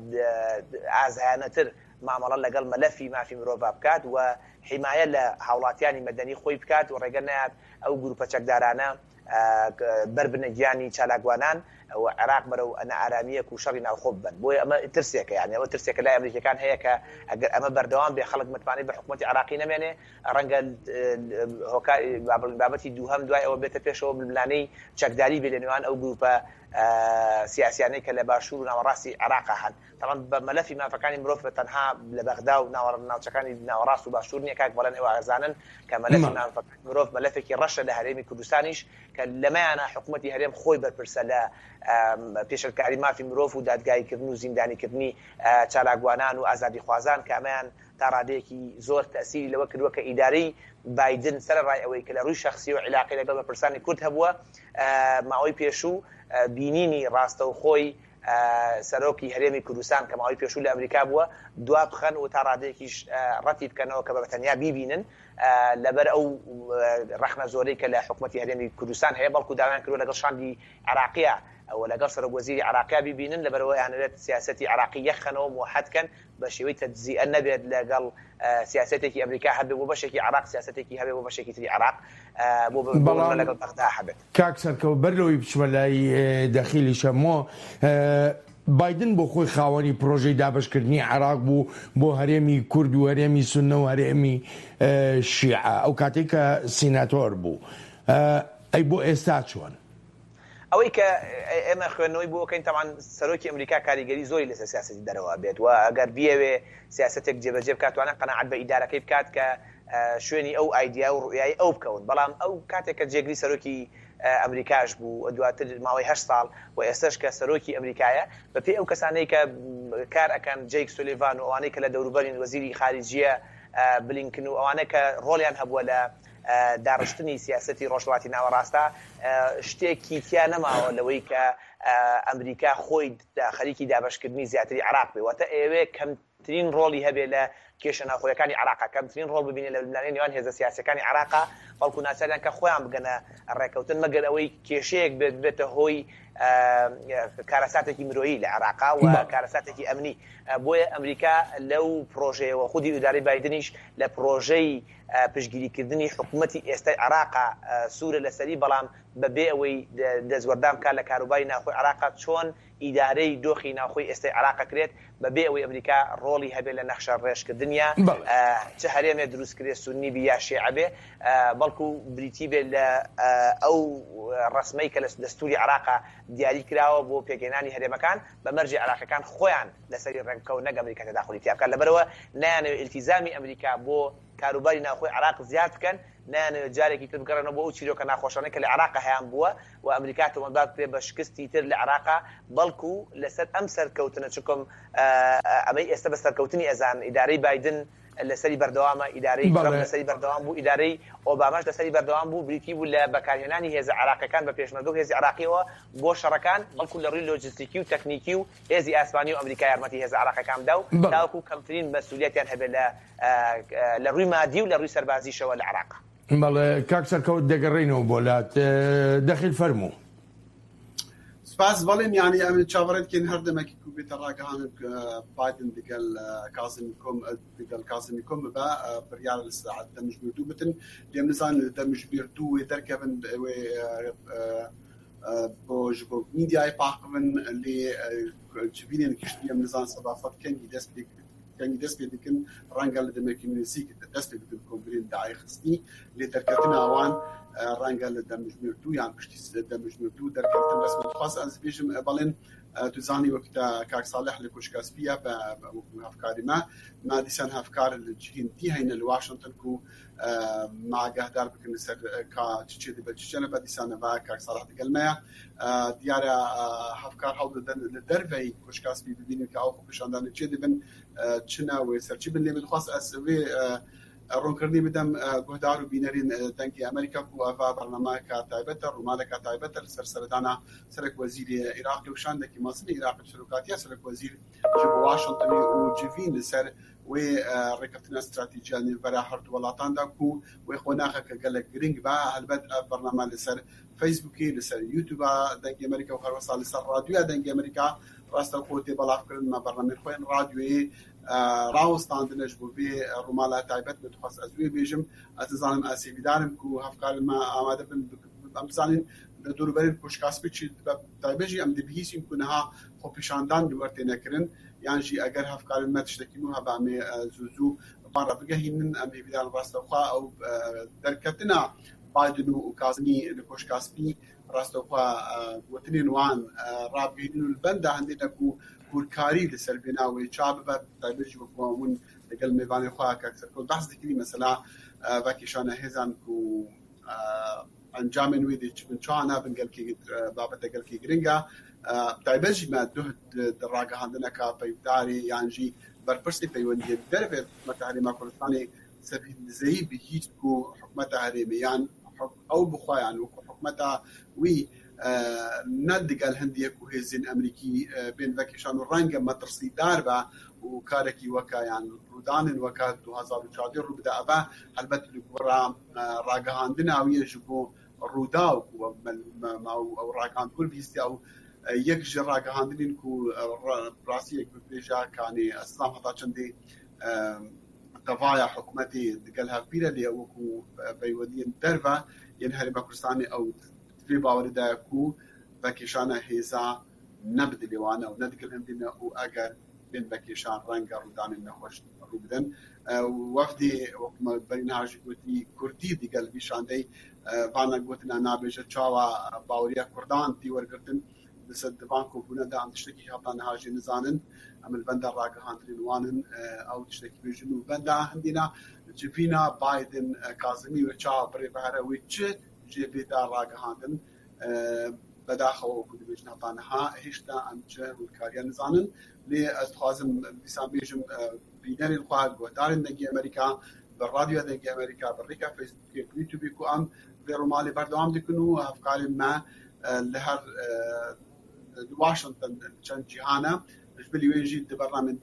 ئازایانەتر مامەڵە لەگەڵ مەلەفی مافی مرۆڤ بکات و حیمایە لە هاوڵاتیانی مەدەنی خۆی بکات و ڕێگە نەیات ئەو گروپە چەکدارانە بەربنە گیانی چالاکوانان و عێراق بەرەو نائارامییەک و شەڕی ناوخۆ ببەن. بۆیە ئەمە ترسێکە، یانی ئەوە ترسێکە لای ئەمریکییەکان هەیە کە ئەگەر ئەمە بەردەوام بێ خەڵک متمانەی بە حکومەتی عێراقی نەمێنێ، ڕەنگە هۆکار با بڵێین بابەتی دووهەم دوای ئەوە بێتە پێشەوە ململانێی چەکداری بێ لە نێوان ئەو گرووپە سیاسیانەی کە لە باشوور و ناوەڕاستی عێراقا هەن. تەبعەن بە مەلەفی مافەکانی مرۆڤ بە تەنها لە بەغدا و ناوچەکانی ناوەڕاست و باشوور نییە کاک بەڵێن ئێوە ئەزانن کە مەلەفی مافەکانی مرۆڤ مەلەفێکی ڕەشە لە هەرێمی کوردستانیش کە لەمەیانە حکوومەتی هەرێم خۆی بەرپرسە لە پێشلکاری مافی مرۆڤ و دادگاییکردن و زیندانیکردنی چالاکوانان و ئازادیخوازان کە ئەمەیان تا ڕادەیەکی زۆر تەسیری لەوە کردووە کە ئیدارەی بایدن سەرەڕای ئەوەی کە لە ڕووی شەخسی و عیلاقەی لەگەڵ بەرپرسانی کورد هەبووە ماوەی پێشوو بینینی ڕاستەوخۆی. سەرۆکی هەرێمی کوردستان کە ماوەی پێشوو لە ئەمریکا بووە دوا بخەن و تا ڕادەیەکیش ڕەتی بکەنەوە کە بە تەنیا بیبینن لەبەر ئەو ڕەخنە زۆرەی کە لە حکومەتی هەرێمی کوردستان هەیە، بەڵکو داوایان کردووە لەگەڵ شاندی عێراقییە و لەگەڵ سەرۆک وەزیری عێراقیا بیبینن، لەبەرئەوە ئەیانەوێت سیاسەتی عێراقی یەکخەنەوە، موحەد کەن، بە شێوەی تەجزیئە نەبێت لەگەڵ سیاسەتێکی ئەمریکا هەبێت بۆ بەشێکی عێراق، سیاسەتێکی هەبێت بۆ بەشێکی تری عێراق، بۆ بەڵام لەگەڵ بەغدا هەبێت. کاک سەرکەوت بەر لەوەی بچمە لای دەخیلی شەمۆ، بایدن بۆ خۆی خاوەنی پرۆژەی دابەشکردنی عێراق بوو بۆ هەرێمی کورد و هەرێمی سوننە و هەرێمی شیعە ئەو کاتەی کە سیناتۆر بوو. ئەی بۆ ئێستا چۆن؟ ئەوەی کە ئێمە خوێندنەوەی بۆ ئەکەین تەبعەن سەرۆکی ئەمریکا کاریگەری زۆری لەسەر سیاسەتی دەرەوە ئەبێت و ئەگەر بیەوێ سیاسەتێک جێبەجێ بکات توانێت قەناعەت بە ئیدارەکەی بکات کە شوێنی ئەو ئایدیا و ڕوئیای ئەو بکەون بەڵام ئەو کاتێک کە جێگری سەرۆکی ئەمریکاش بوو دواتر ماوەی هەشت ساڵ و ئێستەش کە سەرۆکی ئەمریکایە بەپێی ئەو کەسانەی کە کار ئەکەن جەیک سولیڤان و ئەوانەی کە لە دەوروبەرین وەزیری خارجیە بلینکن و ئەوانە کە ڕۆڵیان هەبووە لە داڕشتنی سیاسەتی ڕۆژهەڵاتی ناوەڕاستە شتێکی تیا نەماوە لەوەی کە ئەمریکا خۆی خەریکی دابەشکردنی زیاتری عێراق بێ واتە ئەیەوێ کەمترین ڕۆڵی هەبێ لە کێشە ناوخۆیەکانی عێراقا، کەمترین ڕۆڵ ببینێ لە ململانێی نێوان هێزە سیاسیەکانی عێراقا، بەڵکو ناچاریان کە خۆیان بگەنە ڕێکەوتن، مەگەر ئەوەی کێشەیەک بێت ببێتە هۆی کارەساتێکی مرۆیی لە عێراقا و کارەساتێکی ئەمنی. بۆیە ئەمریکا لەو پرۆژەیەوە خودی ئیدارەی بایدنیش لە پرۆژەی پشتگیریکردنی حکومەتی ئێستای عێراقا سوورە لەسەری، بەڵام بەبێ ئەوەی دەستوەردان بکات لە کاروباری ناوخۆی عێراقا چۆن ئیدارەی دۆخی ناوخۆی ئێستای عێراق ئەکرێت بەبێ ئەوەی ئەمریکا ڕۆڵی هەبێت لە نەخشە ڕێژکردنیا چ هەرێمێ دروست کرێ سوننی بی یا شێعە بێ بەڵکو بریتی بێت لە ئەو ڕەسمەی کە لە دەستوری عێراقا دیاری کراوە بۆ پێکهێنانی هەرێمەکان بە مەرجێ عێراقیەکان خۆیان لەسەری ڕێک بکەون نەک ئەمریکا تەداخولی تیا بکات لەبەرئەوە نایانەوێت ئیلتیزامی ئەمریکا بۆ کاروباری ناوخۆی عێراق زیاد بکەن، نایانەوێت جارێکی تر بگەڕێنەوە بۆ ئەو چیرۆکە ناخۆشانەی کە لە عێراقا هەیان بووە و ئەمریکا تۆمەتبار بکرێت بە شکستی تر لە عێراقا، بەڵکو لەسەر ئەم سەرکەوتنە چونکم ئەمەی ئێستا بە سەرکەوتنی ئەزانن، ئیدارەی بایدن لەسەری بەردەوامە، ئیدارەی ترەمپ لەسەری بەردەوام بوو، ئیدارەی ئۆباماش لەسەری بەردەوام بوو، بریتی بوو لە بەکارهێنانی هێزە عێراقیەکان بە پێشمەرگە و هێزی عێراقیەوە بۆ شەڕەکان، بەڵکو لە ڕووی لۆجستیکی و تەکنیکی و هێزی ئاسمانی و ئەمریکا یارمەتی هێزە عێراقیەکان بدا و تاوەکو کەمترین مەسولیەتیان هەبێت لە لە ڕووی مادی و لە ڕووی سەربازیشەوە لە عێراق. بەڵێ کاک سەرکەوت دەگەڕێینەوە بۆ لات دەخیل فەرموو. سپاس بەڵێن یانی ئەمن چاوەڕێ دکەین هەر دەمەکی کو بێتە ڕاگەهانن بایدن دگەل کازمی کۆم دگەل کازمی کۆم ببە بڕیار لە ساعت دەمژمێر دوو بتن لێم نزان لە دەمژمێر دوو وێ دەرکەون وێ بۆ ji bo میدیای پاقبن لێ جڤینên گشتی em nizan seba xwe kengî dest pê kengî dest pê dikin ڕەنگە لە demekî nêzîk dest pê bikin kombirên daê xistî lê derketina wan ڕەنگە لە demjimêr dû yan piştî demjimêr dû derkevtin resmen dixwaz ez bêjim belên tu zanî wek te kak Salih li Koşka Spî ye be wekû hevkarî me me dîsan hevkar li cihên dî heyne li Washington ku me agahdar bikin li ser ka çi çê dibe çi çê nebe dîsan neve kak Salih digel me ye diyar e hevkar hewl didin li derveyî Koşka Spî bibînin ka ew xwepêşandanê çê dibin çi ne wê ser çi bin lê min dixwast ez vê ronkirinê bidem guhdar û bînerên Dengê Amerîka ku ev bernameyeke taybet e, rûmaleke taybet e li ser seredana Serokwezîrê Iraqê û şandekî mezin ê Iraqê bi serokatiya Serokwezîr ji bo Washingtonê û civîn li ser wê rêkeftina stratejîya nêvbera her du welatan de ku wê qonaxeke gelek giring be. Helbet ev bername li ser Facebookê, li ser YouTube'a Dengê Amerîka û herwisa li ser radyoya Dengê Amerîka rastewxo tê belavkirin. Me bernameyên xwe yên radyoyê rawestandine ji bo vê rûmala taybet. Min dixwest ez wê bêjim. Ez nizanim ez hêvîdar im ku hevkarên me amade bin. Em dizanîn li dorûberên Koşka Spî çi dibe bi taybet jî em dibihîsîn ku niha xwepêşandan li wir têne kirin yan jî eger hevkarên me tiştekî nû hebe em ê zû zû van re bigehînin. Em hêvîdar in rastewxwe ew derketina Biden û Kazimî li Koşka Spî rastewxwe gotinên wan rabigihînin û li benda hindê ne ku hûrkarî li ser vêna wê ça bibe bi taybet jî wek hûn li gel mêvanê xwe Kak Serkewt behs dikirî mesela vekêşana hêzan ku encamên wê dê çi bin çawa nabin gelkî babete gelkî giring e. Bi taybet jî me duh di ragihandineka peyvdarê yan jî berpirsê peywendiyên derve hikûmeta Herêma Kurdistanê Sebîn Dizeyî bihîst ku hikûmeta herêmê yan ew bi xwe yan wekû hikûmeta wî. نە دگەل هەندیە ku hêzên Amerîkî bên vekêşan û renge metirsîdar be û karekî weka yan rûdanên weka 2014 rû bide eve helbet li gora ragihandina wî ye ji bo Rûdaw ku ew ragihand hûr bihîstiya û yek ji ragihandinên ku rastiyek bibêje kanê ez heta çendê tevaya hikûmetê digel hevbîre lê wekû peywendiyên derve yên Herêma Kurdistanê ew vê bawerê de ye ku vekêşana hêza ne bi dilê wan e û ne digel hindê ne û eger bên vekêşan renge rûdanên nexweş rû bidin. Wefdê wek me berî niha jî gotî Kurdî digel vî şandey vana gotina nabêje çawa baweriya Kurdan tê wergirtin li ser di van kobûne de em tiştekî heta niha jî nizanin. Em li benda ragihandinên wan in ew tiştekî bêjin û benda hindîna civîna Biden Kazimî wê çawa birê bihere wê çi jê bê da ragihandin bedaxewa wekû dibêjin heta niha hêşta em çi hûrkariya nizanin lê ez dixwazim dîsan bêjim bînerên xwe guhdarên Dengê Amerîka bi radyoya Dengê Amerîka bi rêka Facebookê bi YouTubeê ku em vê romalê berdewam dikin û hevkarên me li her li Washington çend cîhan e ji bilî wê jî di bernamên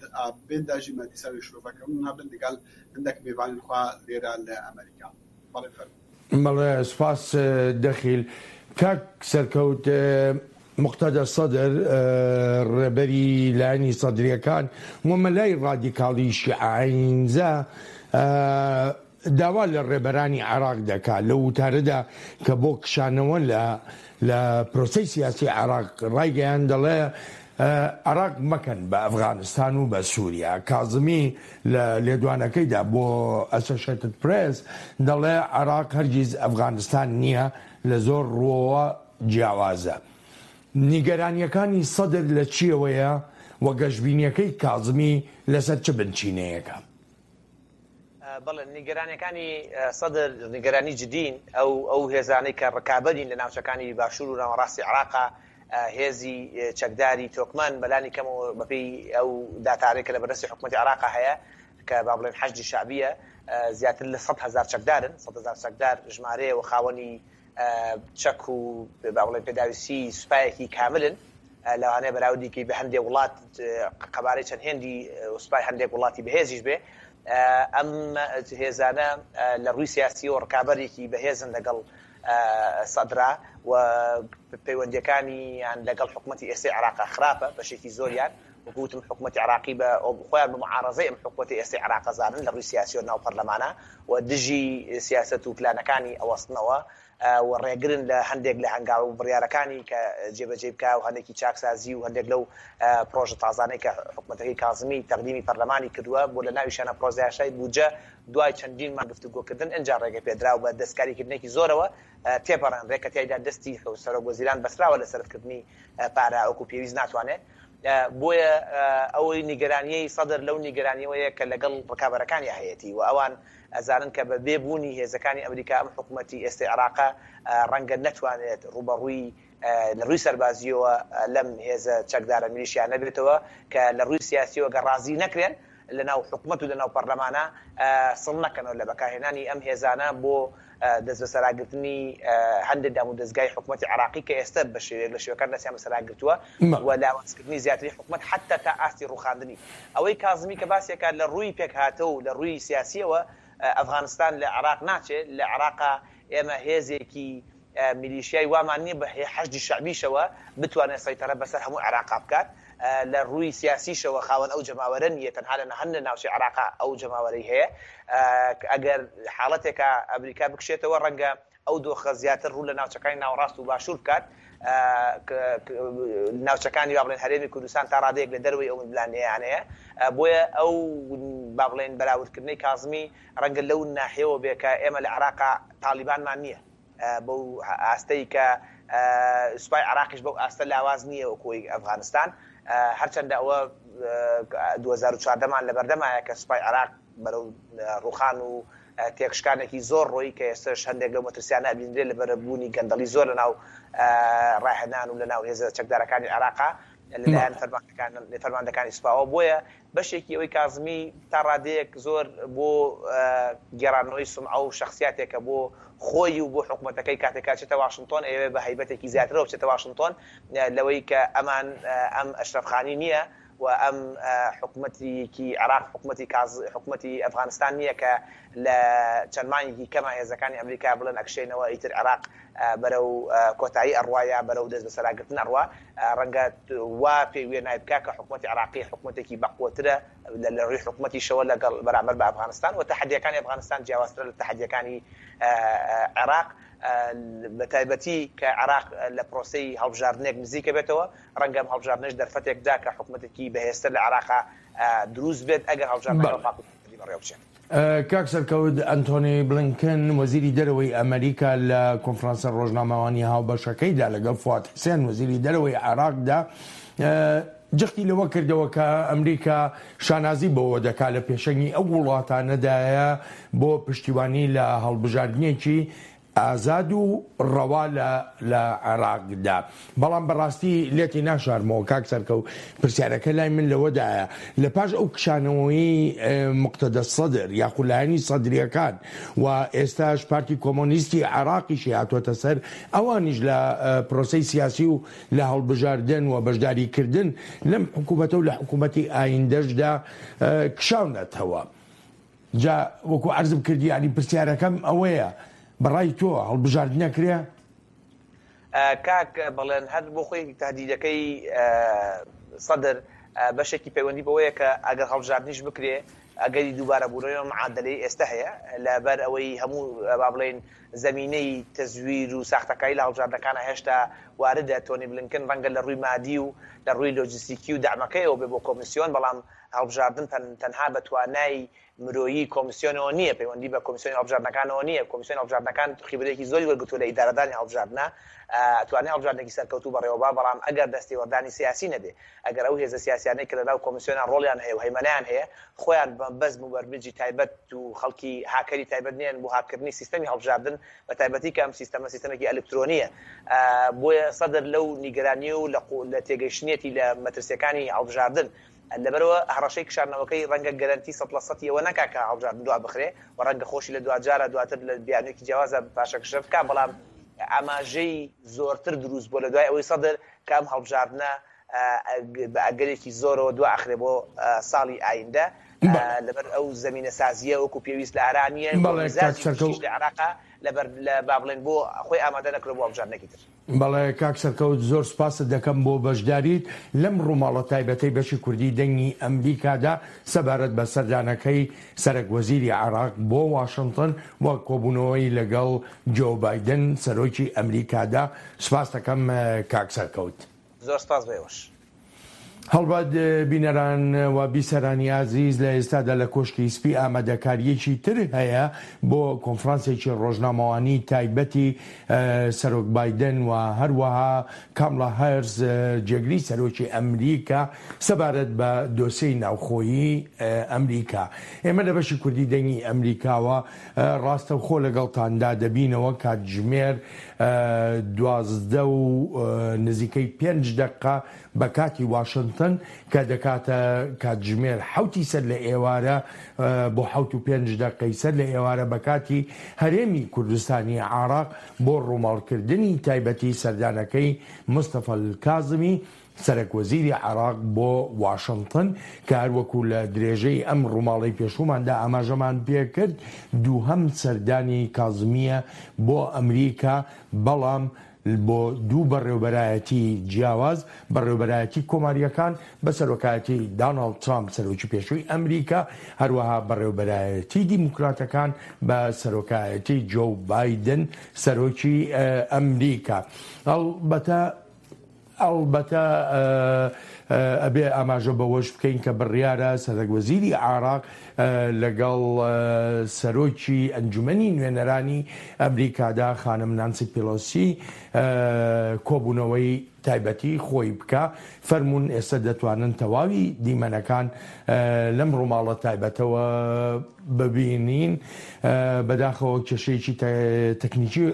bên de jî me dîsa wê şirove kirin hebin digel hindek mêvanên xwe lêre li Amerîka. Belê fermo. Belê spas Dexîl. کاک سەرکەوت موقتەدا سەدر ڕێبەری لایەنی سەدرییەکان و مەلای ڕادیکاڵی شیعە ئایینزا داوا لە ڕێبەرانی عێراق دەکات لەو وتارەدا کە بۆ کشانەوە لە لە پرۆسەی سیاسی عێراق ڕایگەیاند دەڵێ عێراق مەکەن بە ئەفغانستان و بە سووریا. کازمی لە لێدوانەکەیدا بۆ ئەسۆشێتد پرێس دەڵێ عێراق هەرگیز ئەفغانستان نییە، لە زۆر ڕووەوە جیاوازە. نیگەرانییەکانی سەدر لە چییەوەیە و گەشبینییەکەی کازمی لەسەر چ بنچینەیەکە؟ بەڵێ، نیگەرانییەکانی سەدر نیگەرانی جدین. ئەو ئەو هێزانەی کە ڕکابەرین لە ناوچەکانی باشوور و ناوەڕاستی عێراقا، هێزی چەکداری تۆکمەن، بەلانی کەمەوە بەپێی ئەو داتانەی کە لە بەردەستی حکومەتی عێراقا هەیە، کە با بڵێن حەشدی شەعبییە، زیاتر لە 100,000 چەکدارن. 100,000 چەکدار ژمارەیە و خاوەنی چەک و با بڵێن پێداویستی سوپایەکی کاملن. لەوانەیە بەراوردی کەی بە هەندێک وڵات قەبارەی چەند هێندی سوپای هەندێک وڵاتی بەهێزیش بێ. ئەم هێزانە لە ڕووی سیاسیەوە ڕکابەرێکی بەهێزن لەگەڵ سەدرا و پەیوەندیەکانیان لەگەڵ حکومەتی ئێستەی عێراقا خراپە بەشێکی زۆریان وەکو وتم حکومەتی عێراقی بە خۆیان بە معارەزەی ئەم حکومەتی ئێستەی عێراق ئەزانن لە ڕووی سیاسیەوە ناو پەرلەمانە و دژی سیاسەت و پلانەکانی ئەوەستنەوە و ڕێگرن لە هەندێک لە هەنگاو و بڕیارەکانی کە جێبەجێی بکا و هەندێکی چاکسازی و هەندێک لەو پڕۆژە تازانەی کە حکومەتەکەی کازمی تەقدیمی پەرلەمانی کردووە بۆ لە ناویشیانە پڕۆژەیاسای بودجە دوای چەندین مانگ گفتوگۆکردن ئنجا ڕێگەپێدراو بە دەستکاریکردنێکی زۆرەوە تێپەڕێنرێ کە تیایدا دەستی سەرۆک وەزیران بەستراوە لە سەرفکردنی پارە وەکو پێویست ناتوانێت بۆیە ئەوەی نیگەرانیەی سەدر لەو نیگەرانیەوەیە کە لەگەڵ ڕکابەرەکانیا هەیەتی و ئەوان ئەزانن کە بە بێ بوونی هێزەکانی ئەمریکا ئەم حکومەتی ئێستەی عێراقە ڕەنگە نەتوانێت ڕووبەڕووی لە ڕووی سەربازییەوە لەم هێزە چەکدارە میلیشیانە بێتەوە کە لە ڕووی سیاسییەوە گەر ڕازی نەکرێن لە ناو حکومەت و لە ناو پەرلەمانە سڵ نەکەنەوە لە بەکارهێنانی ئەم هێزانە بۆ دەستبەسەراگرتنی هەندێک دامودەزگای حکومەتی عێراقی کە ئێستا بە شێوەیەک لە شێوەکان دەستیان بەسەراگرتووە و لاوازکردنی زیاتری حکومەت حەتتا تا ئاستی ڕووخاندنی. ئەوەی کازمی کە باسی ئەکات لە ڕووی پێکهاتە و لە ڕووی سیاسییەوە ئەفغانستان لە عێراق ناچێ، لە عێراقا ئێمە هێزێکی میلیشیای وامان نییە بە حەشدی شەعبیشەوە بتوانێت سەیتەرە بەسەر هەموو عێراقا بکات، لە ڕووی سیاسیشەوە خاوەن ئەو جەماوەرە نییە، تەنها لە هەندێک ناوچەی عێراقا ئەو جەماوەرەی هەیە، ئەگەر حاڵەتێکا ئەمریکا بکشێتەوە ڕەنگە ئەو دۆخە زیاتر ڕوو لە ناوچەکانی ناوەڕاست و باشوور بکات، ناوچەکانی با بڵێن هەرێمی کوردستان تا ڕادەیەک لە دەرەوەی ئەو ململانێیانەیە، بۆیە ئەو با بڵێن بەراوردکردنەی کازمی ڕەنگە لەو ناحیەوە بێ کە ئێمە لە عێراقا تاڵیبانمان نییە. بەو ئاستەی کە سوپای عێراقیش بەو ئاستە لاواز نییە وەکو ئەوی ئەفغانستان، هەرچەندە ئەوە 2014 مان لەبەردەمایە کە سوپای عێراق بەرەو ڕووخان و تێکشکانێکی زۆر ڕۆی کە ئێستاش هەندێک لەو مەترسیانە ئەبینرێت لەبەر بوونی گەندەڵی زۆر لەناو ڕاهێنان و لەناو هێزە چەکدارەکانی عێراقا. لەلایەن فەرماندەکان فەرماندەکانی سوپاوە بۆیە بەشێکی ئەوەی کازمی تا ڕادەیەک زۆر بۆ گێڕانەوەی سومعە و شەخسیاتێکە بۆ خۆی و بۆ حکومەتەکەی کاتێک کە ئەچێتە واشنتۆن ئەیەوێ بە هەیبەتێکی زیاترەوە بچێتە واشنتۆن لەوەی کە ئەمان ئەم ئەشرەف خانی نییە و ئەم حکومەتێکی عێراق حکومەتی کاز حکومەتی ئەفغانستان نییە کە لە چەند مانگێکی کەما هێزەکانی ئەمریکا بڵێن ئەکشێنەوە ئیتر عێراق بەرەو کۆتایی ئەڕوا یا بەرەو دەستبەسەراگرتن ئەڕوا، ڕەنگە وا پێ وێنای بکا کە حکومەتی عێراقی حکومەتێکی بەقوەترە لە ڕووی حکومەتیشەوە لەگەڵ بەرامبەر بە ئەفغانستان و تەحەدییەکانی ئەفغانستان جیاوازترە لە تەحەدییەکانی عێراق بە تایبەتی کە عێراق لە پرۆسەی هەڵبژاردنێک نزیکە بێتەوە، ڕەنگە ئەم هەڵبژاردنەش دەرفەتێک بدا کە حکومەتێکی بەهێزتر لە عێراقا دروست بێت ئەگەر هەڵبژاردنەکە بە پاک و پوختی بەڕێوە بچێت. کاک سەرکەوت، ئەنتۆنی بلینکن، وەزیری دەرەوەی ئەمەریکا لە کۆنفرانسە ڕۆژنامەوانییە هاوبەشەکەیدا لەگەڵ فواد حسێن، وەزیری دەرەوەی عێراقدا، جەختی لەوە کردەوە کە ئەمریکا شانازی بەوە دەکات لە پێشەنگی ئەو وڵاتانەدایە بۆ پشتیوانی لە هەڵبژاردنێکی ئازاد و ڕەوا لە لە عێراقدا. بەڵام بەڕاستی لێتی ناشارمەوە کاک سەرکەوت پرسیارەکە لای من لەوەدایە لە پاش ئەو کشانەوەی موقتەدا سەدر یاخود لایەنی سەدریەکان و ئێستاش پارتی کۆمۆنیستی عێراقیشی هاتووەتە سەر ئەوانیش لە پرۆسەی سیاسی و لە هەڵبژاردن و بەشداریکردن لەم حکوومەتە و لە حکوومەتی ئایندەشدا کشاونەتەوە. جا وەکو عەرزم کرد یانی پرسیارەکەم ئەوەیە بەڕای تۆ هەڵبژاردن ئەکرێ؟ کاک بەڵێن هەر بۆ خۆی تهدیدەکەی سەدر بەشێکی پەیوەندی بەوەیە کە ئەگەر هەڵبژاردنیش بکرێ ئەگەری دووبارە بوونەوەی ئەم معادلەی ئێستا هەیە لەبەر ئەوەی هەموو با بڵێین زەمینەی تەزویر و ساختەکاری لە هەڵبژاردنەکانە هێشتا واردە تۆنی بلینکن ڕەنگە لە ڕووی مادی و لە ڕووی لۆجستیکی و دەعمەکەیەوە بێ بۆ کۆمیسیۆن بەڵام هەڵبژاردن تەنها بە توانای مرۆیی کۆمسیۆنەوە نییە، پەیوەندی بە کۆمسیۆنی هەڵبژاردنەکانەوە نییە، کۆمسیۆنی هەڵبژاردنەکان خیبرەیەکی زۆری وەرگرتووە لە ئیدارەدانی هەڵبژاردنە، ئەتوانێ هەڵبژاردنێکی سەرکەوتوو بەڕێوەبا، بەڵام ئەگەر دەستێوەردانی سیاسی نەبێ، ئەگەر ئەو هێزە سیاسیانەی کە لەناو کۆمسیۆنا ڕۆڵیان هەیە و هەیمەنەیان هەیە، خۆیان بە بەزم و بەرمجی تایبەت و خەڵکی هاکەری تایبەت نین بۆ هاککردنی سیستەمی هەڵبژاردن، بە تایبەتی کە ئەم سیستەمە سیستەمێکی ئەلکترۆنییە، بۆیە سەدر لەو نیگەرانی و لە تێگەیشتنیەتی لە مەترسییەکانی هەڵبژاردن، لەبەرئەوە هەڕەشەی کشاندنەوەکەی ڕەنگە گەرەنتی سەد لە سەتی ئەوە نەکا کە هەڵبژاردن دوا بخرێ و ڕەنگە خۆشی لە دواجارا دواتر لە بیانوویەکی جیاوازا پاشەکشە بکا، بەڵام ئاماژەی زۆرتر دروست بووە لە دوای ئەوەی سەدر کە ئەم هەڵبژاردنە بە ئەگەرێکی زۆرەوە دوا ئەخرێ بۆ ساڵی ئایندە لەبەر ئەو زەمینەسازییە وەکو پێویست لە ئارا نییە و میزاجی گشتیش لە عێراقا لەبەر با بڵێین بۆ خۆی ئامادە نەکردووە بۆ هەڵبژاردنێکی تر. بەڵێ کاک سەرکەوت زۆر سوپاست دەکەم بۆ بەشداریت لەم ڕووماڵە تایبەتەی بەشی کوردی دەنگی ئەمریکادا سەبارەت بە سەردانەکەی سەرەک وەزیری عێراق بۆ واشنتن و کۆبوونەوەی لەگەڵ جۆو بایدن سەرۆکی ئەمریکادا سوپاست دەکەم کاک سەرکەوت. زۆر سوپاس بۆ ئێوەش. هەڵبەت بینەران و بیسەرانی ئازیز لە ئێستادا لە کۆشکی سپی ئامادەکارییەکی تر هەیە بۆ کۆنفرانسێکی ڕۆژنامەوانی تایبەتی سەرۆک بایدن و هەروەها کامڵا هارس جێگری سەرۆکی ئەمریکا سەبارەت بە دۆسێی ناوخۆیی ئەمریکا. ئێمە لە بەشی کوردی دەنگی ئەمریکاوە ڕاستەوخۆ لەگەڵتاندا دەبینەوە کاتژمێر 12 و نزیکەی پێنج دەقە بە کاتی واشنتن کە دەکاتە کاتژمێر حەوتی سەر لە ئێوارە بۆ حەوت و پێنج دەقەی سەر لە ئێوارە بە کاتی هەرێمی کوردستانی عێراق بۆ ڕووماڵکردنی تایبەتی سەردانەکەی مستەفا کازمی سەرەک وەزیری عێراق بۆ واشنتن کە هەروەکو لە درێژەی ئەم ڕووماڵەی پێشووماندا ئاماژەمان پێکرد دووهەم سەردانی کازمییە بۆ ئەمریکا بەڵام بۆ دوو بەڕێوبەرایەتی جیاواز، بەڕێوبەرایەتی کۆمارییەکان بە سەرۆکایەتی داناڵد ترامپ سەرۆکی پێشووی ئەمریکا، هەروەها بەڕێوبەرایەتی دیموکراتەکان بە سەرۆکایەتی جۆو بایدن سەرۆکی ئەمریکا. ئەڵبەتە ئەڵبەتە ئەبێ ئاماژە بەوەش بکەین کە بڕیارە سەرەک وەزیری عێراق لەگەڵ سەرۆکی ئەنجومەنی نوێنەرانی ئەمریکادا خانم نانسی پیلۆسی کۆبوونەوەی تایبەتی خۆی بکا، فەرموون ئێستا دەتوانن تەواوی دیمەنەکان لەم ڕووماڵە تایبەتەوە ببینین. بەداخەوە کێشەیەکی تەکنیکی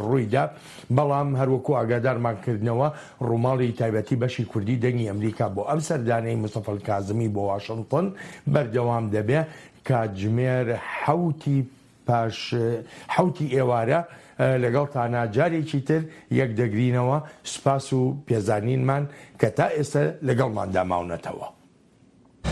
ڕوویدا، بەڵام هەروەکو ئاگادارمان کردنەوە ڕووماڵی تایبەتی بەشی کوردی دەنگی ئەمریکا بۆ ئەم سەردانەی مستەفا کازمی بۆ واشنتن بەردەوام دەبێ کاتژمێر حەوتی پاش حەوتی ئێوارە لەگەڵتانا جارێکی تر یەک دەگرینەوە، سوپاس و پێزانینمان کە تا ئێستا لەگەڵماندا ماونەتەوە.